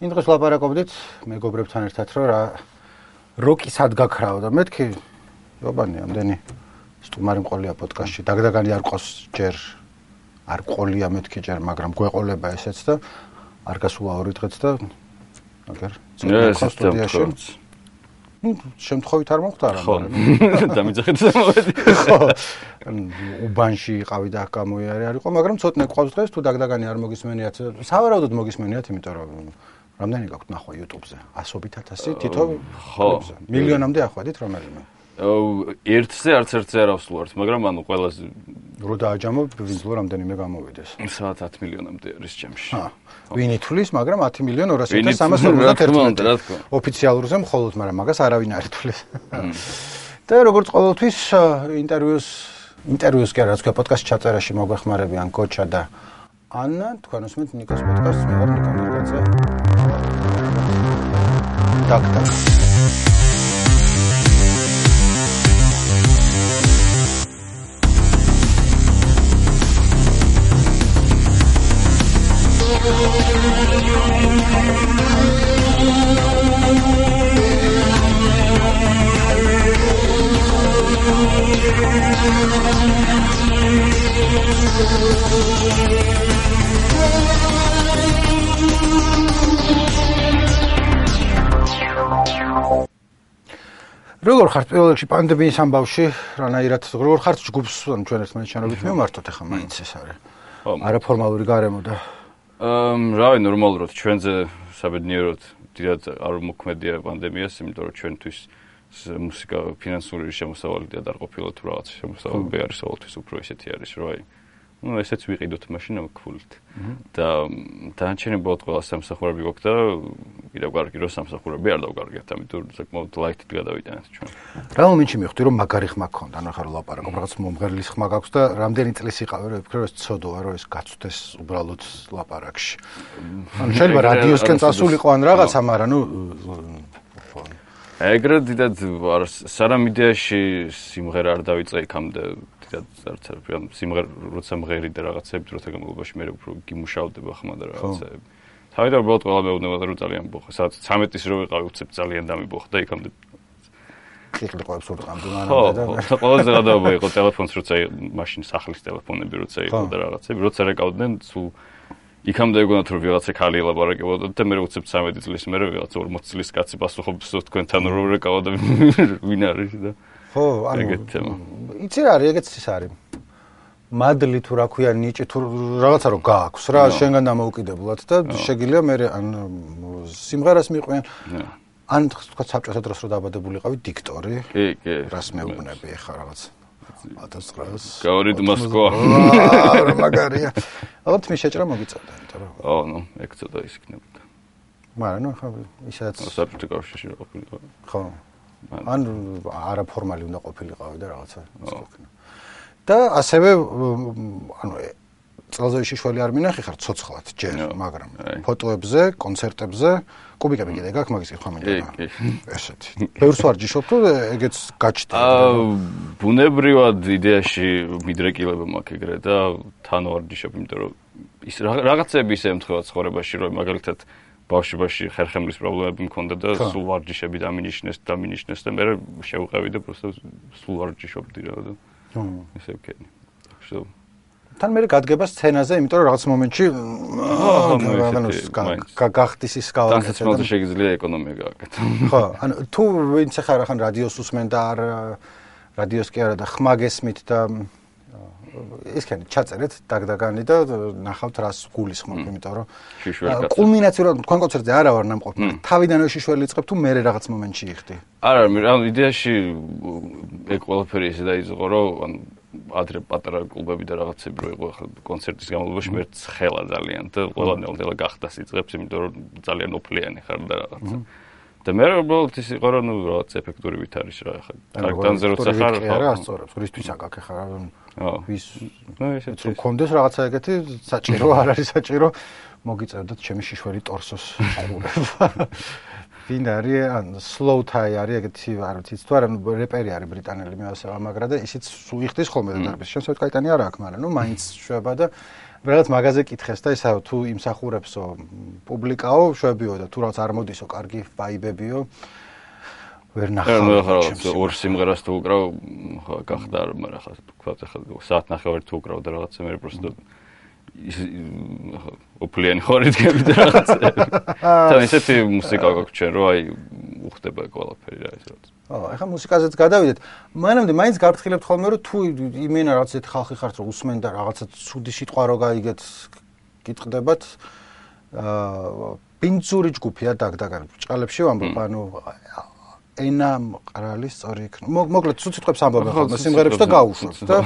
იმ დღეს ვლაპარაკობდით მეგობრებთან ერთად, რომ რა როკი სად გაქრაო და მეთქი იობანი ამდენი სტუმარი მყოლია პოდკასტში. დაგდაგანი არ ყავს ჯერ არ ყოლია მეთქი ჯერ, მაგრამ გვეყოლება ესეც და არ გასულა 2 დღეც და აგერ სტუდიაში. ნუ შემთხვევით არ მოხდა რა. ხო. დამიძახეთ მოვედი. ხო. უბანში იყავი და გამოიარე არ იყო, მაგრამ ცოტნე ყავს დღეს თუ დაგდაგანი არ მოგისმენიათ. სავარაუდოდ მოგისმენიათ, იმიტომ რომ რამდენი გაქვთ ნახვა YouTube-ზე? 100.000 თითო? ხო. მილიონამდე ახვედით რომელიმე? ერთზე არც ერთზე არ ავსულვართ, მაგრამ ანუ ყველაზე რო დააჯამო ვინძლო რამდენიმე გამოვიდეს. სადაც 10 მილიონამდე არის ჯამში. ვინ ითვლის, მაგრამ 10.351.000 ოფიციალურზე მხოლოდ, მაგრამ მაგას არავინ არ ითვლის. და როგორც ყოველთვის ინტერვიუს კი არა, თქვა პოდკასტ ჩაწერაში მოგვეხმარებიან კოჩა და ანა, თქვენ უსმენთ ნიკოს პოდკასტს, მე ვარ ნიკო ნერგაძე. დაკ. როგორ ხართ პირველ რიგში პანდემიის ამბავში, რანაირად როგორ ხართ ჯგუფს ჩვენ ერთმანეთს შენობით მივმართოთ ახლა მაინც ეს არის. არაფორმალური გარემო და რავი ნორმალურად ჩვენზე საბედნიეროდ დიდად არ მოქმედია პანდემიას, იმიტომ რომ ჩვენთვის მუსიკა ფინანსური შემოსავალით არ ყოფილა თუ რაღაც შემოსავალი არის ყოველთვის უფრო ისეთი არის, რომ აი ну ესეც ვიყიდოთ მაშინ ამ ქულით. და დანარჩენი ბოლოდ ყველა სამსახურები გვაქვს და კიდევ კარგი რომ სამსახურები არ დავკარგეთ, ამიტომ საკმაოდ ლაითით გადავიტანეთ ჩვენ. რა მომენტში მივხვდი რომ მაგარი ხმა გქონდა, ანუ ახლა ლაპარაკობ რაღაც მომღერლის ხმა გაქვს და რამდენი წლის იყავი რომ ვფიქრე რომ ეს ცოდოა რომ ეს გაცვდეს უბრალოდ ლაპარაკში. ანუ შეიძლება რადიოსკენ წასულიყო ან რაღაცა, მაგრამ ნუ ეგრე დიდად სანამ იდეაში სიმღერა არ დავიწყე იქამდე არც სიმღერა როცა მღერი და რაღაცები დროთა განმავლობაში მე უფრო გიმუშავდება ხმა და რაღაცები. თავიდან უბრალოდ ყველა მეუბნება რომ ძალიან ბოხა. სადაც 13-ის რო ვიყავი უცებ ძალიან დამიბოხა და იქამდე კლიკლიყავს ურყამდი მანამდე და ხო, ყველაზე გადაობა იყო ტელეფონს როცა მაშინ სახლის ტელეფონები როცა იყო და რაღაცები. როცა რეკავდნენ სულ იქამდე ეგონათ რომ ვიღაცა ხალი ელაპარაკებოდა და მე უცებ 13 წლის მერე ვიღაცა 40 წლის კაცი პასუხობს თქვენთან რომ რეკავა და ვინ არის და ხო, ანუ იცი რა არის, ეგეც ის არის. მადლი თუ რა ქვია, ნიჭი თუ რაღაცა რო გააქვს რა, შენგან დამოუკიდებლად და შეგიძლია მე ან სიმღერას მიყვიან. ან თქვა საბჭოთა დროს რო დაბადებულიყავი დიქტორი. კი. რას მეუბნები ახლა რაღაც 1900 გავრით მოსკოვა. რა მაგარია. ალბათ მე შეჭრა მოგიწევდა, იმიტომ რომ ნუ ეგ ცოტა ის იქნებოდა. მაგრამ ნუ ახლა ისაც საბჭოთა კავშირში რა ყოფილიყო. ხო. ან არაფორმალი უნდა ყოფილიყავი და რაღაცა ისქნა. და ასევე ანუ წელზე შიშველი არ მინახი ხარ ცოცხლად ჯერ, მაგრამ ფოტოებზე, კონცერტებზე, კუბიკები კიდე გაქვს მაგის კითხვა მინდა. კი. ესეთი. ბევრს ვარ ჯიშობ თუ ეგეც გაჩნდა. ბუნებრივად იდეაში მიდრეკილება მაქვს ეგრე და თან ვარ ჯიშობ, იმიტომ რომ ის რაღაცები ისე ემთხვევა ცხოვრებაში, რომ მაგალითად ბავშვობაში ხერხემლის პრობლემები მქონდა და სულ ვარჯიშები დამინიშნეს და მე შევყევი და просто სულ ვარჯიშობდი რა და ესე ვქენი. თან მე გადგება სცენაზე, იმიტომ რომ რაღაც მომენტში გახდის ის გავაკეთე. და შეიძლება ეკონომია გააკეთო. ხო, ანუ თუ ვინც ახლა რახან რადიოს უსმენ და არ რადიოს კი არა და ხმა გესმით და ისქენი ჩაწერეთ დაგდაგანი და ნახავთ რას გულისხმობ, იმიტომ რომ კულმინაციურად თქვენ კონცერტზე არა ვარ ნამყოფი, თავიდანვე შიშველი იწყებ თუ მე რაღაც მომენტში იხდი. არა, ანუ იდეაში ეგ ყველაფერი ისე დაიწყო, რომ ანუ ადრე პატარა კლუბები და რაღაცები რო იყო ახლა კონცერტის განმავლობაში მე ცხელა ძალიან და ყველა გახდა სიწყებს, იმიტომ რომ ძალიან ოფლიანი ხარ და რაღაცა. და მე უბრალოდ ის იყო რომ რაღაც ეფექტური ვით არის რა ახლა. ტრაქტანზე როცა ხარ, არა ასწორებს, რისთვის აკაკე ხარ ვის ისე კონდეს რაღაცა ეგეთი საჭირო არ არის საჭირო მოგიწევდეთ ჩემი შიშველი ტორსოს ყურება. ვინ არის ან slow tie არის ეგეთი არ ვიცი თუ არა რეპერი არის ბრიტანელი მე ასე ამაგრა და ისიც სულ იხდის ხოლმე და დარბის. შენ საერთოდ კაიტანი არ აქვს, მაგრამ ნუ მაინც შვება და რაღაც მაგაზე კითხეს და ისა თუ იმსახურებსო პუბლიკაო, შვებიო და თუ რაღაც არ მოდისო, კარგი ვაიბებიო. ვერ ნახავ. ორ სიმღერას თუ უკრავ, გახდა, მაგრამ ხა თქვა ახლა საათნახევარი თუ უკრავ და რაღაცა მე просто ოპლიანი ხორი დგები და რაღაცა. თან ისეთი მუსიკა გაქვს ჩვენ, რომ აი უხდება ყველაფერი რა ის რაღაც. ახლა მუსიკაზეც გადავიდეთ. მანამდე მაინც გაფრთხილებთ ხოლმე რომ თუ იმენა რაღაც ეს ხალხი ხართ რომ უსმენ და რაღაცა ცუდი სიტყვა რო გაიგეთ გიტყდებათ პინცური ჯგუფია დაგდაგან ბრჭყალებში ვამბობ ანუ ენა მყრალი სწორი იქნება. მოკლედ ცუდ სიტყვებს ამბობენ ხოლმე სიმღერებს და გაუშვებთ და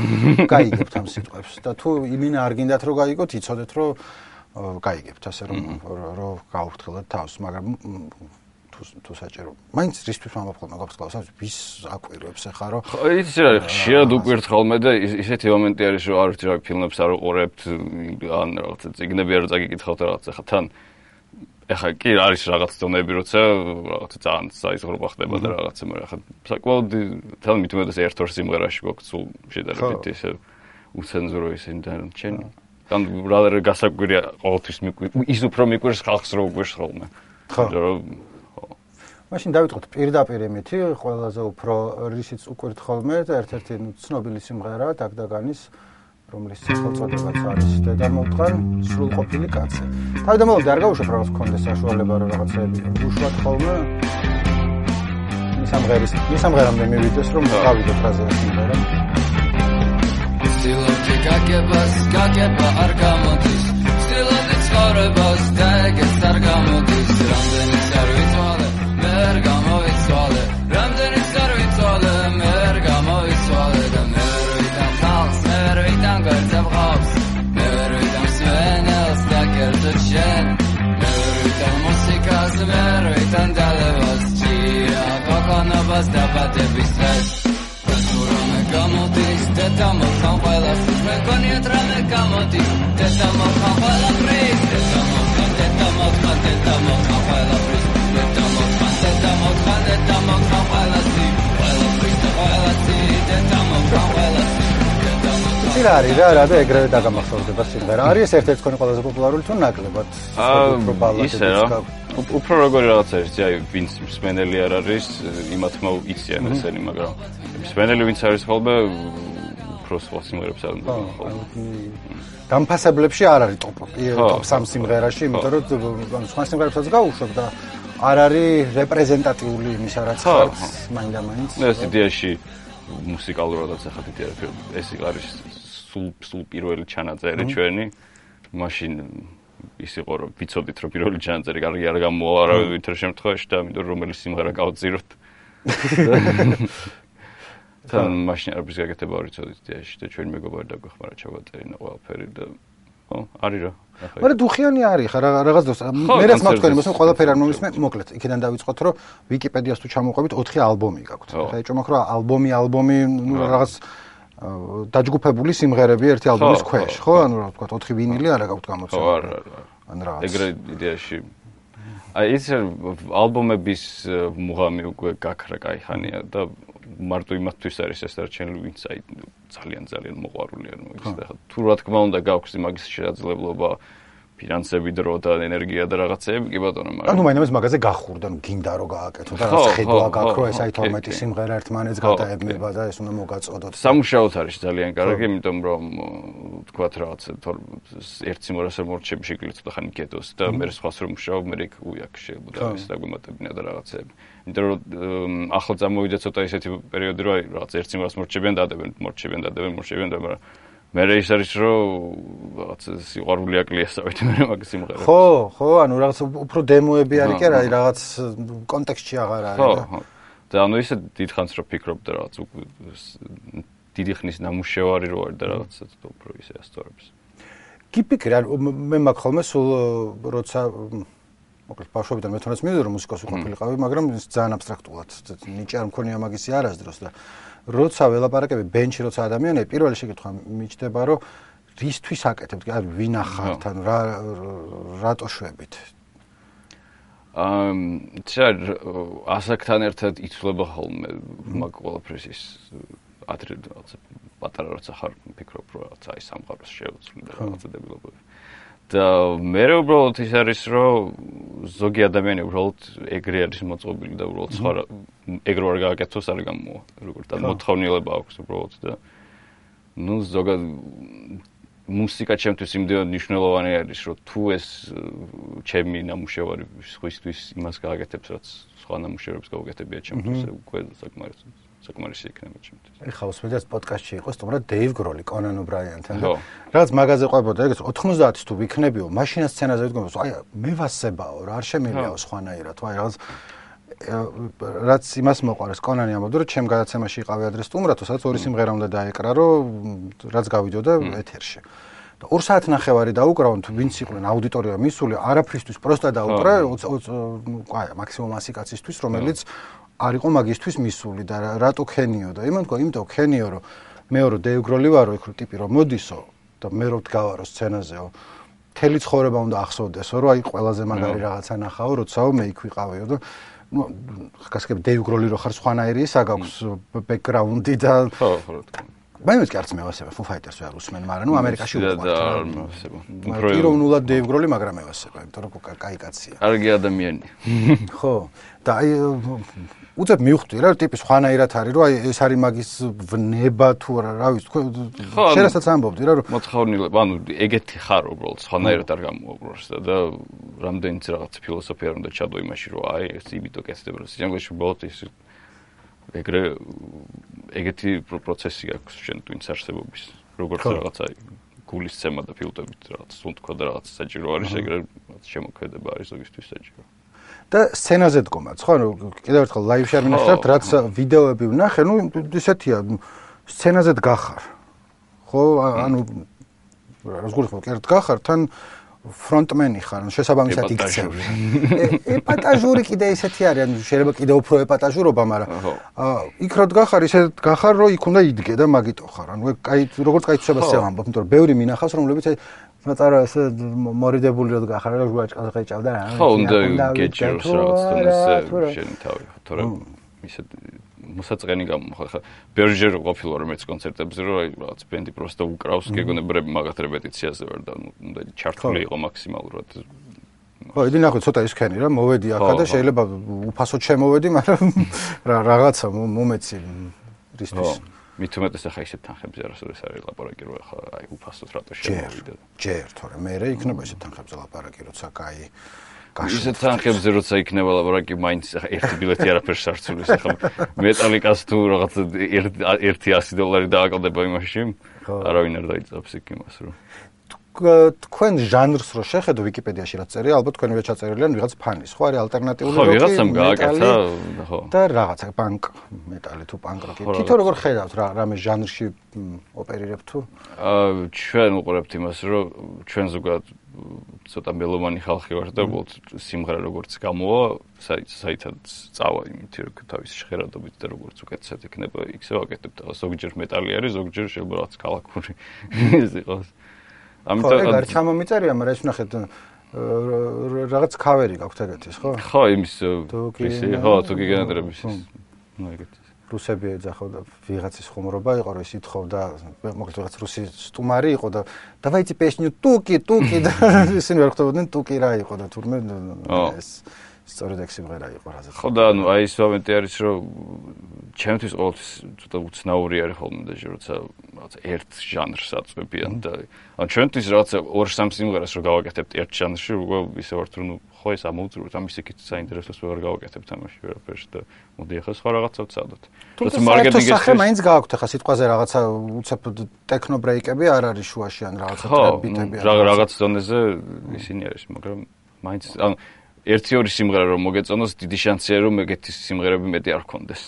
გაიგებთ ამ სიტყვებს და თუ იმენა არ გინდათ რომ გაიგოთ იცოდეთ რომ გაიგებთ ასე რომ გაუფრთხილდეთ თავს მაგრამ თუ საჭირო. მაინც რისთვის ვამბობ ხოლმე გაფრთხილებას ვის აკვირვებს ახლა რომ იცი რა ხშირად უკვირთ ხოლმე და ისეთი მომენტი არის რომ არ ვიცი რა ფილმებს არ უყურებთ ან რაღაცა წიგნები არ წაგიკითხავთ რაღაცა ხა თან ეხა კი არის რაღაც დონეები როცა რაღაცა ძალიან საიზღრობა ხდება და რაღაცა მაგრამ ხა საკმაოდ თან მithumedas ერთ-ორ სიმღერაში გვაქვს სულ შედარებით ესე უცენზურო ისინი და ჩვენ თან რა გასაკვირია ყოველთვის ის უფრო მიკვირს ხალხს რო უკვირს ხოლმე ხო მაშინ დავიწყოთ პირდაპირ იმითი ყველაზე უფრო რისიც უკვირთ ხოლმე და ერთ-ერთი ცნობილი სიმღერა დაგდაგანის რომლის სახელწოდებაც არის დედამოთხან სრულყოფილი კაცი. თავდამავალ არ გავუშვებ რაღაც კონდეს საშუალება რომ რაღაცები უშვათ ხოლმე მის ამღერამდე მივიდეს რომ გავიდოთ რაზე სიმღერა. Stилoti გაგება არ გამოდის სტილოდი ცხოვრებას და ეგეც არ გამოდის რამდენიც არ ვიცვალე ვერ გამოვიცვალე რამდენიც არ ვიცვალე ვერ გამოვიცვალე და მე ვიდან ხალხს მე ვიდან გვერდებ ხალხს მე ვიდან სვენელს და კერძო შენ მე ვიდან მუსიკას მე ვიდან დალევას ჭირა გოგონობას და ბადების დღეს რამე გამოდის და მოხან ყველას მე გონიათ რამე გამოდის და მოხან ყველაფრის და მოხან ყველაფრის და მოხან ყველასი ყველაფრის და ყველასი და მოხან ყველასი ცირა არის რა და ეგრევე დაგამახსოვრდება სიმღერა. არის ერთ-ერთი თქვენი ყველაზე პოპულარული თუ ნაკლებად უფრო ბალადები უფრო როგორი რაღაც არის აი ვინც მსმენელი არ არის იმათმა იციან ესენი მაგრამ მსმენელი ვინც არის ხოლმე უფრო სხვა სიმღერებს არ უნდა ხოლმე დამფასებლებში არ არის ტოპ 3 სიმღერაში იმიტომ რომ სხვა სიმღერებსაც გაუშვებ და არ არის რეპრეზენტატიული იმისა რაც ხართ მაინდა-მაინც ეს იდეაში მუსიკალურადაც ახლა დიდი ეს არის სულ პირველი ჩანაწერი ჩვენი მაშინ ის იყო რომ ვიცოდით რომ პირველი ჩანაწერი კარგი არ გამოვა არავითარ შემთხვევაში და ამიტომ რომელი სიმღერა გავწიროთ თან მაშინ არის გაკეთება არ ვიცოდით იდეაში და ჩვენი მეგობარი დაგვეხმარა ჩავაწერინა ყველაფერი და ხო არის რა მაგრამ დუხიანი არის ხა რაღაც დროს მე რაც მაქვს თქვენი მოსა ყველაფერი არ მომისმე მოკლედ იქიდან დავიწყოთ რომ ვიკიპედიას თუ ჩამოვყვებით 4 ალბომი გაქვთ ხა ეჭვმაქ რა ალბომი რაღაც დაჯგუფებული სიმღერები ერთი ალბომის ქვეშ ხო ანუ რა ვთქვა 4 ვინილი არა გაქვთ გამოცემული ხო არა ან რაღაც ეგრე იდეაში აი ის ალბომების მუღამი უკვე გაქრა кайხანია და მარტო იმათთვის არის ეს რა ჩვენ ვინც აი ძალიან მოყვარული არ მოიქს და თუ რა თქმა უნდა გაქვს მაგის შესაძლებლობა ფინანსები დრო და ენერგია და რაღაცეები კი ბატონო მაგრამ ანუ მაინც მაგაზე გახურდა ნუ გინდა რომ გააკეთო და რაღაც ხედვა გაქრო ეს აი 12 სიმღერა ერთმანეთს გადაებნება და ეს უნდა მოგაწოდოთ სამუშაოდ არის ძალიან კარგი იმიტომ რომ თქვათ რაღაც ერთ სიმღერას მორჩები შეგიძლიათ და ხანი კეთოს და მე სხვას რომ მუშაობ მე იქ უიაკ შეიძლება ეს დაგვემატებინა და რაღაცეები იმიტომ რომ ახლა წამოვიდა ცოტა ისეთი პერიოდი რომ აი რაღაც ერთ სიმღერას მორჩებიან დადებენ მაგრამ მე ის არის რომ რაღაც სიყვარული აკლიასავით მე მაგ სიმღერას ხო ანუ რაღაც უფრო დემოები არის კი არა რაღაც კონტექსტში აღარ არის ხო და ანუ ისე დიდხანს რომ ფიქრობ და რაღაც დიდი ხნის ნამუშევარი რო არის და რაღაცა უფრო ისე ასწორებს გიფიქრე მე მაგ ხოლმე სულ როცა მოკლედ ბავშვობიდან მე თვითონაც მივიდა რომ მუსიკას უყვარდები მაგრამ ძალიან აბსტრაქტულად ნიჭი არ მქონია მაგისი არასდროს და როცა ველაპარაკები ბენჩი როცა ადამიანები პირველი შეკითხვა მიჩნდება რომ რისთვის აკეთებთ აი ვინ ახართ ან რატო შვებით ასაკთან ერთად იცვლება ხოლმე მაგ ყველაფრის ის ადრე რაღაცა პატარა როცა ხარ ფიქრობ რომ რაღაცა აი სამყაროს შევცვლი და რაღაცა დებილობები. და მე უბრალოდ ის არის რომ ზოგი ადამიანი უბრალოდ ეგრე არის მოწყობილი და უბრალოდ სხვა ეგრე არ გააკეთოს არ გამოვა. როგორც და მოთხოვნილება აქვს უბრალოდ და ნუ ზოგად მუსიკა ჩემთვის იმდენად მნიშვნელოვანი არის რომ თუ ეს ჩემი ნამუშევარი სხვისთვის იმას გააკეთებს რაც სხვა ნამუშევრებს გაუკეთებია ჩემთვის უკვე საკმარისი იქნება ჩემთვის. ეხლა უსმენთ პოდკასტში იყო სტუმრად დეივ გროლი, კონან ობრაიანთან და რაც მაგაზე ყვებოდა ეგრეთ 90-ს თუ ვიქნებიო, მაშინა სცენაზე ვდგომო, აი მე ვასებაო რა, არ შემიძლიაო სხვანაირად, აი რაღაც რაც იმას მოყარეს კონანი ამბობდა რომ ჩემ გადაცემაში იყავი ადრე სტუმრად, სადაც ორი სიმღერა უნდა დაეკრა, რომ რაც გავიდოდა ეთერში. და 2 საათნახევარი დაუკრავენ თუ ვინც იყვნენ აუდიტორია მისული, არაფრისთვის პროსტა დაუკრა, აი მაქსიმუმ 100 კაცისთვის, რომელიც არ იყო მაგისტვის მისული და რატო ქენიო და იმიტომ ქენიო რომ მეო რომ დეივ გროლი ვარო, იქ რომ ტიპი რომ მოდისო და მე რომ ვდგავარო სცენაზეო, მთელი ცხოვრება უნდა ახსოვდესო, რომ აი ყველაზე მაგარი რაღაცა ნახაო, როდესაც მე იქ ვიყავიო და გასაგებ დეივ გროლი რო ხარ სხვანაირი ის აქვს ბექგრაუნდი და ხო მაინც კი არც მევასება Foo Fighters ვერ უსმენ, მაგრამ ნუ ამერიკაში უყვართ. პიროვნულად დეივ გროლი, მაგრამ მევასება, იმიტომ რომ კაი კაცია. კარგი ადამიანი. ხო, და აი უცებ მივხვდი რა, ტიპი სხვანაირად არის, რომ აი ეს არის მაგის ვნება თუ რა ვიცი, თქვენ შენასაც ამბობდი რა, რომ მოთხოვნილება, ანუ ეგეთი ხარ უბრალოდ სხვანაირად არ გამოუბროს და რამდენიც რაღაც ფილოსოფია უნდა ჩადო იმაში, რომ აი ეს იმითო კეთდება, რომ სიამოვნებაში უბრალოდ ის ეგრე ეგეთი პროცესი აქვს შენ twins არსებობის. როგორც რაღაცა გულის ცემა და ფილტვებით რაღაც სუნთქვა და რაღაც საჭირო არის, ეგრე შემოქმედება არის ზოგისთვის საჭირო. და სცენაზე დგომაც, ხო, კიდევ ერთხელ ლაივში არ მინახავთ, რაც ვიდეოები ვნახე, ნუ ისეთია, სცენაზე დგახარ. ხო, ანუ როგორ ხო, კერტ გახარ, თან ფრონტმენი ხარ, შესაბამისად იქცევი. ეპატაჟური კიდე ისეთი არის, ანუ შეიძლება კიდე უფრო ეპატაჟურობა, მაგრამ იქ რო დგახარ, ისე გახარ, რომ იქ უნდა იდგე და მაგიტო ხარ. ანუ კაი, როგორც კაი თვისებას ამბობ, იმიტომ რომ ბევრი მინახავს, რომლებიც მაწარა ესე მორიდებული რო დგახარ, რომ გვაჭყალ ხეჭავდა რა. ხო, უნდა გეჭიროს რაღაც თუნდაც შენი თავი, თორემ ისე მოსაწყენი გამოხა. ბერჟერ ყოფილა რომ მეც კონცერტებზე რომ აი რაღაც ბენდი პროსტა უკრავს, გეგონებრები მაგათ რეპეტიციაზე ვარ და უნდა ჩართული იყო მაქსიმალურად. ხო, იდი ნახე ცოტა ისქენი რა, მოვედი ახლა და შეიძლება უფასოდ შემოვედი, მაგრამ რაღაცა მომეცი რისთვის. მით უმეტეს ახლა ისეთ თანხებზე არასოდეს არის ლაპარაკი, რომ ახლა აი უფასოდ რატო შემოვიდე. ჯერ, თორემ მე იქნება ისეთ თანხებზე ლაპარაკი, როცა კაი ისეთ თანხებზე როცა იქნება ლაპარაკი, მაინც ახლა ერთი ბილეთი არაფერს არ ცulis ახლა მეტალიკას თუ რაღაც $100 დააკლდება იმაში, არავინ არ დაიწყებს იქ იმას რომ თქვენ ჟანრს რო შეხედო ვიკიპედიაში რაც წერია, ალბათ თქვენივე ჩაწერილი ან ვიღაც ფანის, ხო არის ალტერნატიული როკი, ვიღაცამ გააკეთა, ხო. და რაღაცა პანკ მეტალი თუ პანკ როკი. თვითონ როგორ ხედავთ რამე ჟანრში ოპერირებთ თუ? ჩვენ უყურებთ იმას, რომ ჩვენ ზოგადად ცოტა მელომანი ხალხი ვართ და უბრალოდ სიმღერა როგორც გამოვა, საერთოდ წავა იმით რომ თავის ჟღერადობით და როგორც უკეთესად იქნება, იქცე ვაკეთებთ. ზოგჯერ მეტალი არის, ზოგჯერ შეიძლება რაღაც კალაკური ის იყოს. ამიტომ ეგ ჩამომიწერია, მაგრამ ეს ნახეთ რაღაც ქავერი გაქვთ ეგეთის, ხო? ხო, იმის პრისი, ხო, თუ გიგენერების ის. ნუ ეგეთი. რუსები ეძახოდა ვიღაცის ხუმრობა იყო, რომ ის ითხოვდა, მოკლედ ვიღაც რუსი სტუმარი იყო და დავაიცი პესნიუ ტუკი და ისინი ვერ ხვდებოდნენ ტუკი რა იყო და თურმე ეს სწორედ ეგ სიმღერა იყო რაზე. ხო და ანუ აი ეს მომენტი არის, რომ ჩემთვის ყოველთვის ცოტა უცნაური არის ხოლმე და როცა რაღაცა ერთ ჟანრს აწვევიან და ანუ ჩვენთვის რაღაცა 2-3 სიმღერას რო გავაკეთებთ ერთ ჟანრში, უკვე ისე ვართ რომ ხო ეს ამოვწუროთ, ამის იქით საინტერესოს ვერ გავაკეთებთ ამაში ვერაფერს და მოდი ახლა სხვა რაღაცა ვცადოთ. როცა მარკეტინგის სახე მაინც გააქვთ ახლა სიტყვაზე რაღაცა უცებ ტექნო ბრეიკები არ არის შუაში ან რაღაცა ტრებიტები არა. ხო, რაღაც ზონეზე ისინი არის, მაგრამ მაინც ანუ 1-2 სიმღერა რომ მოგეწონოს, დიდი შანსია რომ ეგეთი სიმღერები მეტი არ გქონდეს.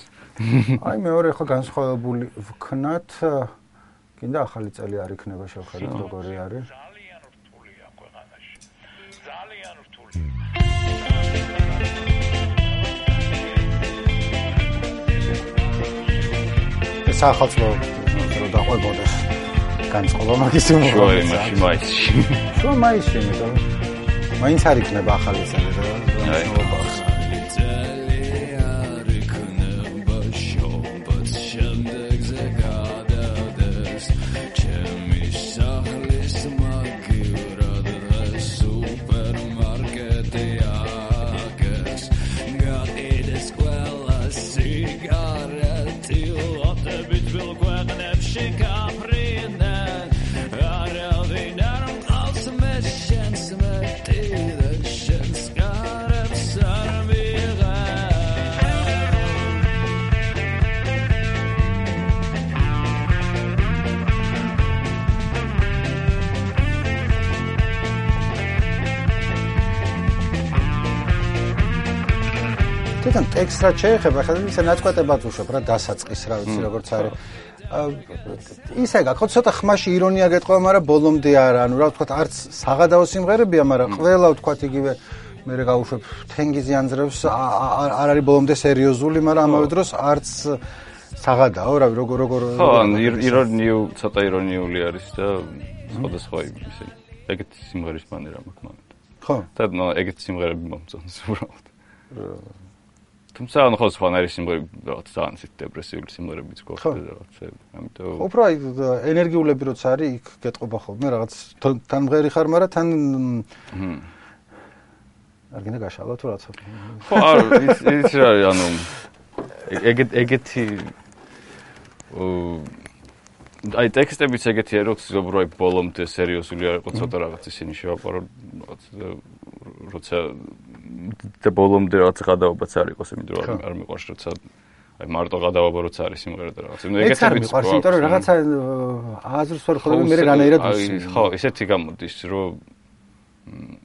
აი მეორე ხო განსხვავებული ვქნათ, კიდე ახალი წელი არ იქნება შევხედოთ როგორი არის. ძალიან რთულია ქვეყანაში. ძალიან რთული. სახალხო რო დაყვებოდეს განწყობა მაგის უმოვლობა. მაისში. შუა მაისში მეტად. მაინც არ იქნება ახალი წელი და განსხვავება. თვითონ ტექსტს რაც შეეხება, ხა ისე ნაწყვეტებად უშვებ რა დასაწყის რა ვიცი როგორც არის. ისე გაკეთე ცოტა ხმაში ირონია გეტყვა, მაგრამ ბოლომდე არა. ანუ რა ვთქვათ, არც საღადაო სიმღერებია, მაგრამ ყველა ვთქვათ იგივე მე გავუშვებ თენგიზი ანძრევს არ არის ბოლომდე სერიოზული, მაგრამ ამავე დროს არც საღადაო, რავი, როგორ ხო, ცოტა ირონიული არის და სხვადასხვა ისე ეგეთი სიმღერის მანერა მაქვს მომენტ. ხო. და ეგეთი სიმღერები მომწონს უბრალოდ. თუმცა ანუ ხო სხვანაირი სიმღერები რაღაც ძალიან ისეთ დეპრესიული სიმღერებიც გვაქვს და რაღაცები. ამიტომ უფრო აი ენერგიულები როცა არის, იქ გეტყობა ხოლმე რაღაც თან მღერი ხარ, მაგრამ თან არ გინდა გაშალო თუ რაცა. ხო, არ ის რა არის, ანუ ეგეთი აი ტექსტებიც ეგეთია, რომ ბოლომდე სერიოზული არ იყო, ცოტა რაღაც ისინი შევაპარო, როცა და ბოლომდე რაღაც გადაობაც არ იყოს, იმიტომ რომ არ მიყვარს, როცა აი მარტო გადაობა როცა არის სიმღერა და რაღაც. ეგეთებიც მიყვარს, იმიტომ რომ რაღაცა აზრს ვერ ხედავ, მე რანაირად ვისმენ. ხო, ისეთი გამოდის, რომ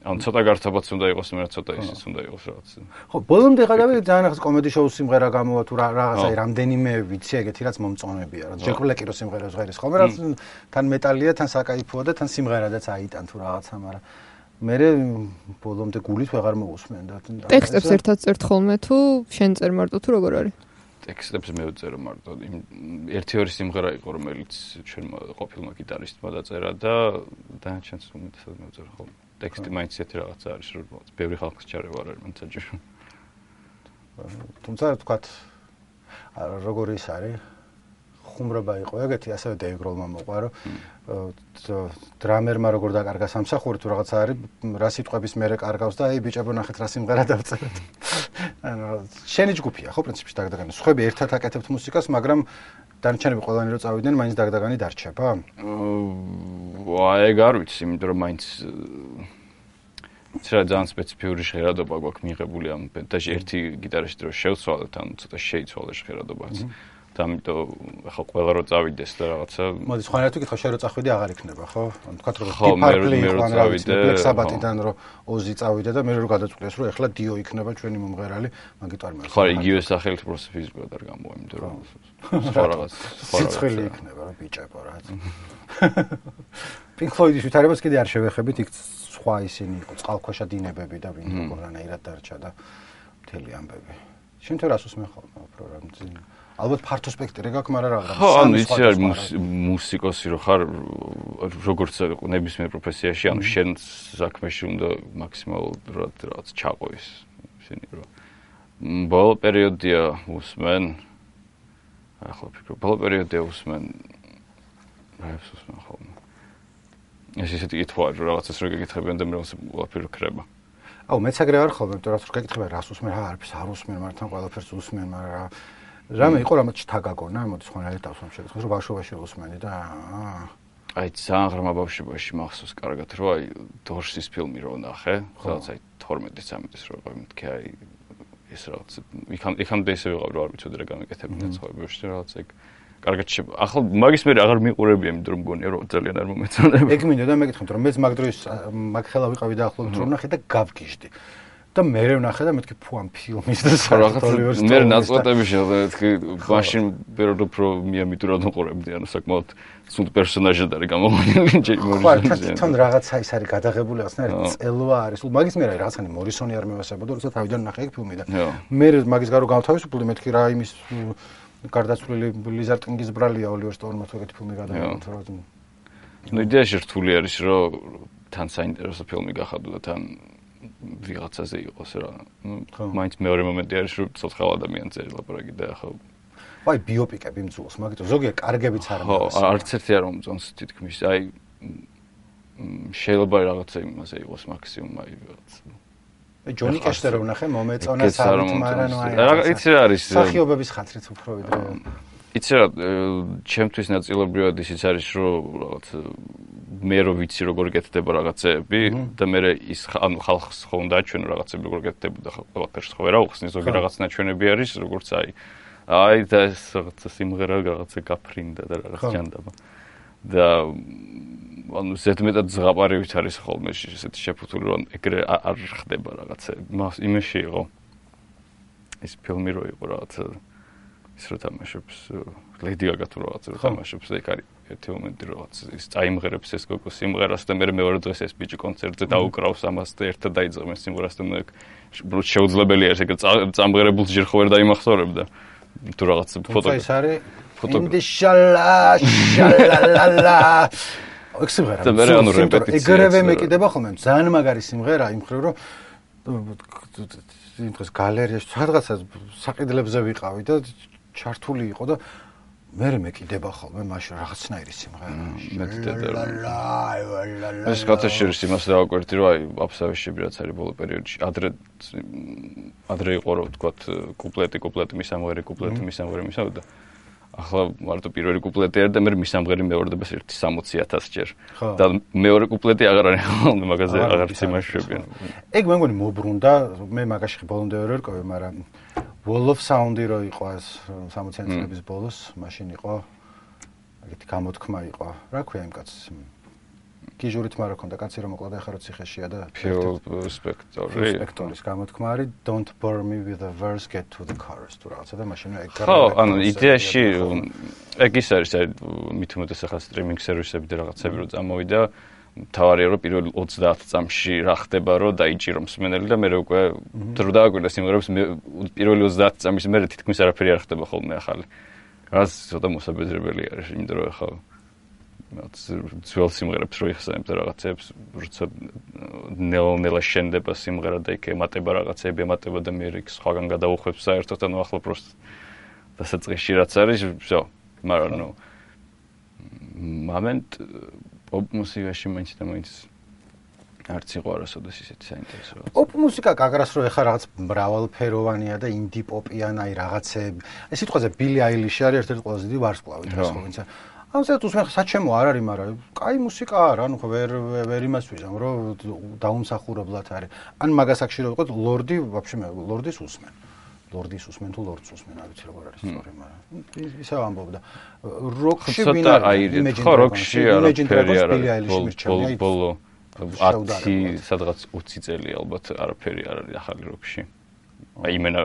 ან ცოტა გართობაც უნდა იყოს, მე ცოტა ისიც უნდა იყოს რაღაც. ხო, ბოლომდე გადავიდე ძალიან ახალ კომედი შოუს სიმღერა გამოვა თუ რაღაცა რამდენიმე ვიცი ეგეთი რაც მომწონებია, რა. ჯეკ ბლეკი რო სიმღერას ღერის ხოლმე, რაც თან მეტალია, თან საკაიფოა და თან სიმღერადაც აიტან თუ რაღაცა, მაგრამ მე ბოლომდე გულით ვეღარ მოვუსმენ და ტექსტებს ერთად წერთ ხოლმე თუ შენ წერ მარტო თუ როგორ არის? ტექსტებს მე ვწერო მარტო. ერთი-ორი სიმღერა იყო, რომელიც ჩვენმა ყოფილმა გიტარისტმა დაწერა და დანარჩენს უმეტესად მე ვწერო ხოლმე. ტექსტი მაინც ისეთი რაღაცა არის, რომ ბევრი ხალხის ჩარევა არ არის მან საჭირო. თუმცა ვთქვათ, როგორ ის არის? ხუმრობა იყო ეგეთი, ასევე დეივ გროლმა მოყვა, რომ დრამერმა როგორ დაკარგა სამსახური თუ რაღაცა არის, რა სიტყვების მერე კარგავს და აი ბიჭებო ნახეთ რა სიმღერა დავწერეთ. ანუ შენი ჯგუფია, ხო, პრინციპში დაგდაგანი. სხვები ერთად აკეთებთ მუსიკას, მაგრამ დანარჩენები ყველანი რო წავიდნენ, მაინც დაგდაგანი დარჩება? ეგ არ ვიცი, იმიტომ რომ მაინც ძალიან სპეციფიური ჟღერადობა გვაქვს მიღებული ამ ბენდაში. ერთი გიტარისტი რო შევცვალეთ, ან ცოტა შეიცვალა ჟღერადობაც. და ამიტომ ახლა ყველა რო წავიდეს და რაღაცა. მოდი სხვანაირად ვიკითხავ, შენ რო წახვიდე აღარ იქნება, ხო? ანუ თქვა რომ დიპარპლი იყო, რა ვიცი, ბლეკ საბათიდან რო ოზი წავიდა და მე რო გადაწყვიტეს, რომ ახლა დიო იქნება ჩვენი მომღერალი, მაგით არ მერს. ხო, იგივე სახელით просто ფიზიკურად არ გამოვა, იმიტომ რომ სხვა რაღაც სიცხელი იქნება, რა ბიჭებო რა. Pink Floyd-ის ვითარებას კიდე არ შევეხებით, იქ სხვა ისინი იყო, წყალქვეშა დინებები და ვინ როგორ რანაირად დარჩა და მთელი ამბები. შენ თუ რას უსმენ ხოლმე უფრო რა მძიმე? ალბათ ფართო სპექტრი გაქვს, მაგრამ რა. ხო, ანუ იცი არის მუსიკოსი რო ხარ, როგორც ნებისმიერ პროფესიაში, ანუ შენ საქმეში უნდა მაქსიმალურად რაღაც ჩაყოის შენი რო. ბოლო პერიოდია უსმენ. ახლა ფიქრობ, ბოლო პერიოდია უსმენ. რაებს უსმენ ხოლმე. ეს ისეთი კითხვა, რომ რაღაცას რო გეკითხებიან და მე ყველაფერი ქრება. აუ, მეც აგრე არ ხოლმე, იმიტომ რომ გეკითხება რას უსმენ, არაფერს არ უსმენ, მართან ყველაფერს უსმენ, მაგრამ რამე იყო რამაც ჩთაგაგონა, მოდი სხვანაირად დავსვამ შეგეძლო, რომ ბავშვობაში უსმენი და აი ძალიან ღრმა ბავშვობაში მახსოვს კარგად, რომ აი დორსის ფილმი რო ნახე, სადაც აი 12-13 რო ვიყავი, მეთქე აი ეს რაღაც იქამდე ისე ვიყავ, რომ არ ვიცოდი რა გამეკეთებინა ცხოვრებაში რაღაც ეგ კარგად ახლა მაგის მე აღარ მიყურებია, იმიტომ რომ მგონია რომ ძალიან არ მომეწონება. ეგ მინდა და მეკითხეთ, რომ მეც მაგ დროს მაგ ხელა ვიყავი დაახლოებით რომ ნახე და გავგიჟდი. და მე ვნახე და მეთქი ფუ ამ ფილმის და რაღაც მე ნაწყვეტები შეხვდა მეთქი მაშინ პერიოდ უფრო მიამიტურად უყურებდი ანუ საკმაოდ სულ პერსონაჟად არის გამოყვანილი ჯეიმ თან რაღაცა ის არის გადაღებული რაღაცნაირად წელვა არის სულ მაგის მე რაღაცანი მორისონი არ მევასებოდა როცა თავიდან ნახე ეგ ფილმი და მე მაგის გარო გავთავისუფლდი მეთქი რა იმის გარდაცვლილი ლიზარდ კინგის ბრალია ოლივერ სტოუნმა თუ ეგეთი ფილმი გადაღებდა ნუ იდეაში რთული არის რომ თან საინტერესო ფილმი გახადო და თან ვიღაცაზე იყოს რა. მაინც მეორე მომენტი არის რომ ცოცხალ ადამიანზე ლაპარაკი და ახლა აი ბიოპიკები მძულს, მაგითო ზოგიერთ კარგებიც არ მაქვს. ხო, არც ერთი არ მომწონს თითქმის. აი შეიძლება რაღაცა იმაზე იყოს მაქსიმუმ აი რაღაც. აი ჯონი კეშზე რო ვნახე მომეწონა სამით, მაგრამ ნუ აი რა იცი რა არის სახიობების ხათრით უფრო ვიდრე იცი რა ჩემთვის ნაწილობრივად ისიც არის რომ რაღაც მე რო ვიცი როგორ გეთდება რაღაცები და მე ის ანუ ხალხს ხო უნდა აჩვენო რაღაცები როგორ გეთდება და ყველაფერს ხო ვერ აუხსნი ზოგი რაღაც ნაჩვენები არის როგორც აი და ეს რაღაცა სიმღერა რაღაცა გაფრინდა და რაღაც ჯანდაბა და ანუ ზედმეტად ზღაპარივით არის ხოლმე ესეთი შეფუთული რომ ეგრე არ ხდება რაღაცა იმაში იყო ის ფილმი რო იყო რაღაცა ის რო თამაშობს ლედი გაგა თუ რაღაცა რო თამაშობს ეგ არის ერთი მომენტი რაღაც ის წაიმღერებს ეს გოგო სიმღერას და მეორე დღეს ეს ბიჭი კონცერტზე დაუკრავს ამას და ერთად დაიძღმეს სიმღერას და შეუძლებელია ეს ეგ წამღერებულს ჯერ ხო ვერ დაიმახსოვრებდა თუ რაღაც ფოტო ის არის ინდიშალა შალალალა ეგ სიმღერა ეგრევე მეკიდება ხოლმე ძალიან მაგარი სიმღერა იმ ხრივ რომ იმ დღეს გალერეაში სადღაცა საყიდლებზე ვიყავი და ჩართული იყო და მე მეკიდება ხოლმე მაშინ რაღაცნაირი სიმღერა ეს კათაშერის იმას დავაკვირდი რომ აი აბსავეშები რაც არის ბოლო პერიოდში ადრე იყო რომ ვთქვათ კუპლეტი მისამღერი და ახლა მარტო პირველი კუპლეტი არის და მე მისამღერი მეორდებას 60,000 ჯერ და მეორე კუპლეტი აღარ არის ხოლმე მაგაზე აღარ სიმაშებიან ეგ მე მგონი მობრუნდა მე მაგაში ბოლომდე ვერ ვერკოვე მაგრამ Wall of Sound-ი რო იყო ეს 60-იან წლების ბოლოს მაშინ იყო ეგეთი გამოთქმა იყო რა ქვია იმ კაცს გიჟურით მარა ქონდა კაცი რომ მოკლდა ახლა რო ციხეშია და Phil Spector-ის გამოთქმა არის Don't bore me with the verse get to the chorus თუ რაღაცა და მაშინ ეგ ხო ანუ იდეაში ეგ ის არის მით უმეტეს ახლა სტრიმინგ სერვისები და რაღაცები რო წამოვიდა თავარია რომ პირველ 30 წამში რა ხდება რომ დაიჭირო მსმენელი და მე უკვე დრო დააკვირდა სიმღერებს პირველი 30 წამის მერე თითქმის არაფერი არ ხდება ხოლმე ახალი რაც ცოტა მოსაბეზრებელი არის იმიტომ რომ ახლა ძველ სიმღერებს რო იხსენებ და რაღაცებს როცა ნელა შენდება სიმღერა და იქ ემატება რაღაცები ემატება და მე იქ სხვაგან გადაუხვევს საერთოდ ანუ ახლა პროსტ დასაწყისში რაც არის всё მაგრამ ნუ მომენტ პოპ მუსიკაში მაინც არც იყო არასოდეს ისეთი საინტერესო. პოპ მუსიკა გაგრას რო ეხა რაღაც მრავალფეროვანია და ინდი პოპიან აი რაღაცები. ეს სიტყვაზე ბილი აილიში არის ერთ-ერთი ყველაზე დიდი ვარსკვლავი დღეს ხო ვინცა. ამასაც უსმენ საჩემო არ არის, მაგრამ კაი მუსიკა არა, ანუ ხო ვერ იმას ვიზამ, რომ დაუმსახურებლად არის. ან მაგას აქ შეიძლება ვიყოთ ლორდი, ვაფშე მე ლორდის უსმენ. ლორდის უსმენ თუ ლორდს უსმენ, არ ვიცი როგორ არის სწორი, მაგრამ ისე ამბობდა. როკში ვინ არის? ხო, როკში არაფერი არ არის. ბოლო 10 სადღაც 20 წელი ალბათ არაფერი არ არის ახალი როკში. აი იმენა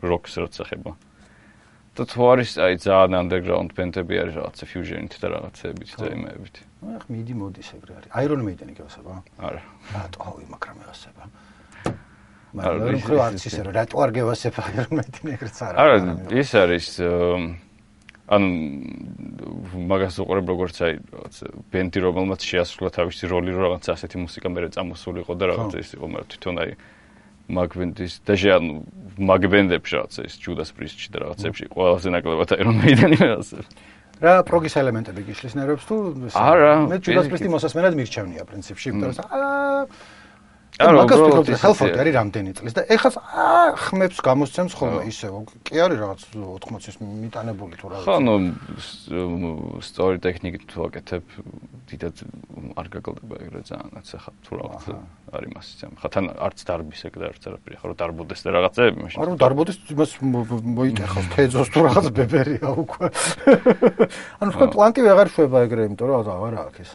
როკს როცა ხება. და თუ არის აი ძალიან underground ბენდები არის რაღაცა fusion-ით და რაღაცებით და იმებით. ახ მიდი მოდის ეგრე არის. Iron Maiden-ი გასება? არა. რატო ავი მაგრამ გასება? მაგრამ ხო არც ისე რომ რატო არ გევასებ Iron Maiden-ი ეგრეც არა. არა, ის არის ანუ მაგას უყურებ როგორც აი რაღაცა ბენდი რომელმაც შეასრულა თავისი როლი რომ რაღაცა ასეთი მუსიკა მერე წამოსულიყო და რაღაცა ის იყო მაგრამ თვითონ აი მაგბენდის და ანუ მაგბენდებში რაღაცა ის ჯუდას პრისტში და რაღაცებში ყველაზე ნაკლებად Iron Maiden-ი რაღაცა რა პროგის ელემენტები გიშლის ნერვებს თუ არა მე ჯუდას პრისტი მოსასმენად მირჩევნია პრინციპში იმიტომ რომ მაგას ვფიქრობ ჰელფორდი არის რამდენი წლის და ეხლა ხმებს გამოსცემს ხოლმე ისე კი არის რაღაც 80-ის მიტანებული თუ რა ხო ნუ story ტექნიკით თუ აკეთებ დიდად არ გაგლდება ეგრე ძალიანაც ახლა თუ რაღაც არის მასიცემ ხა თან არც დარბის ეგ და არც არაფერი ხო რომ დარბოდეს და რაღაცეები მაშინ არა დარბოდეს იმას მოიტეხავს თეძოს თუ რაღაც ბებერია უკვე ანუ ხო პლანკი ვეღარ შვება ეგრე იმიტომ რომ აღარ აქვს ეს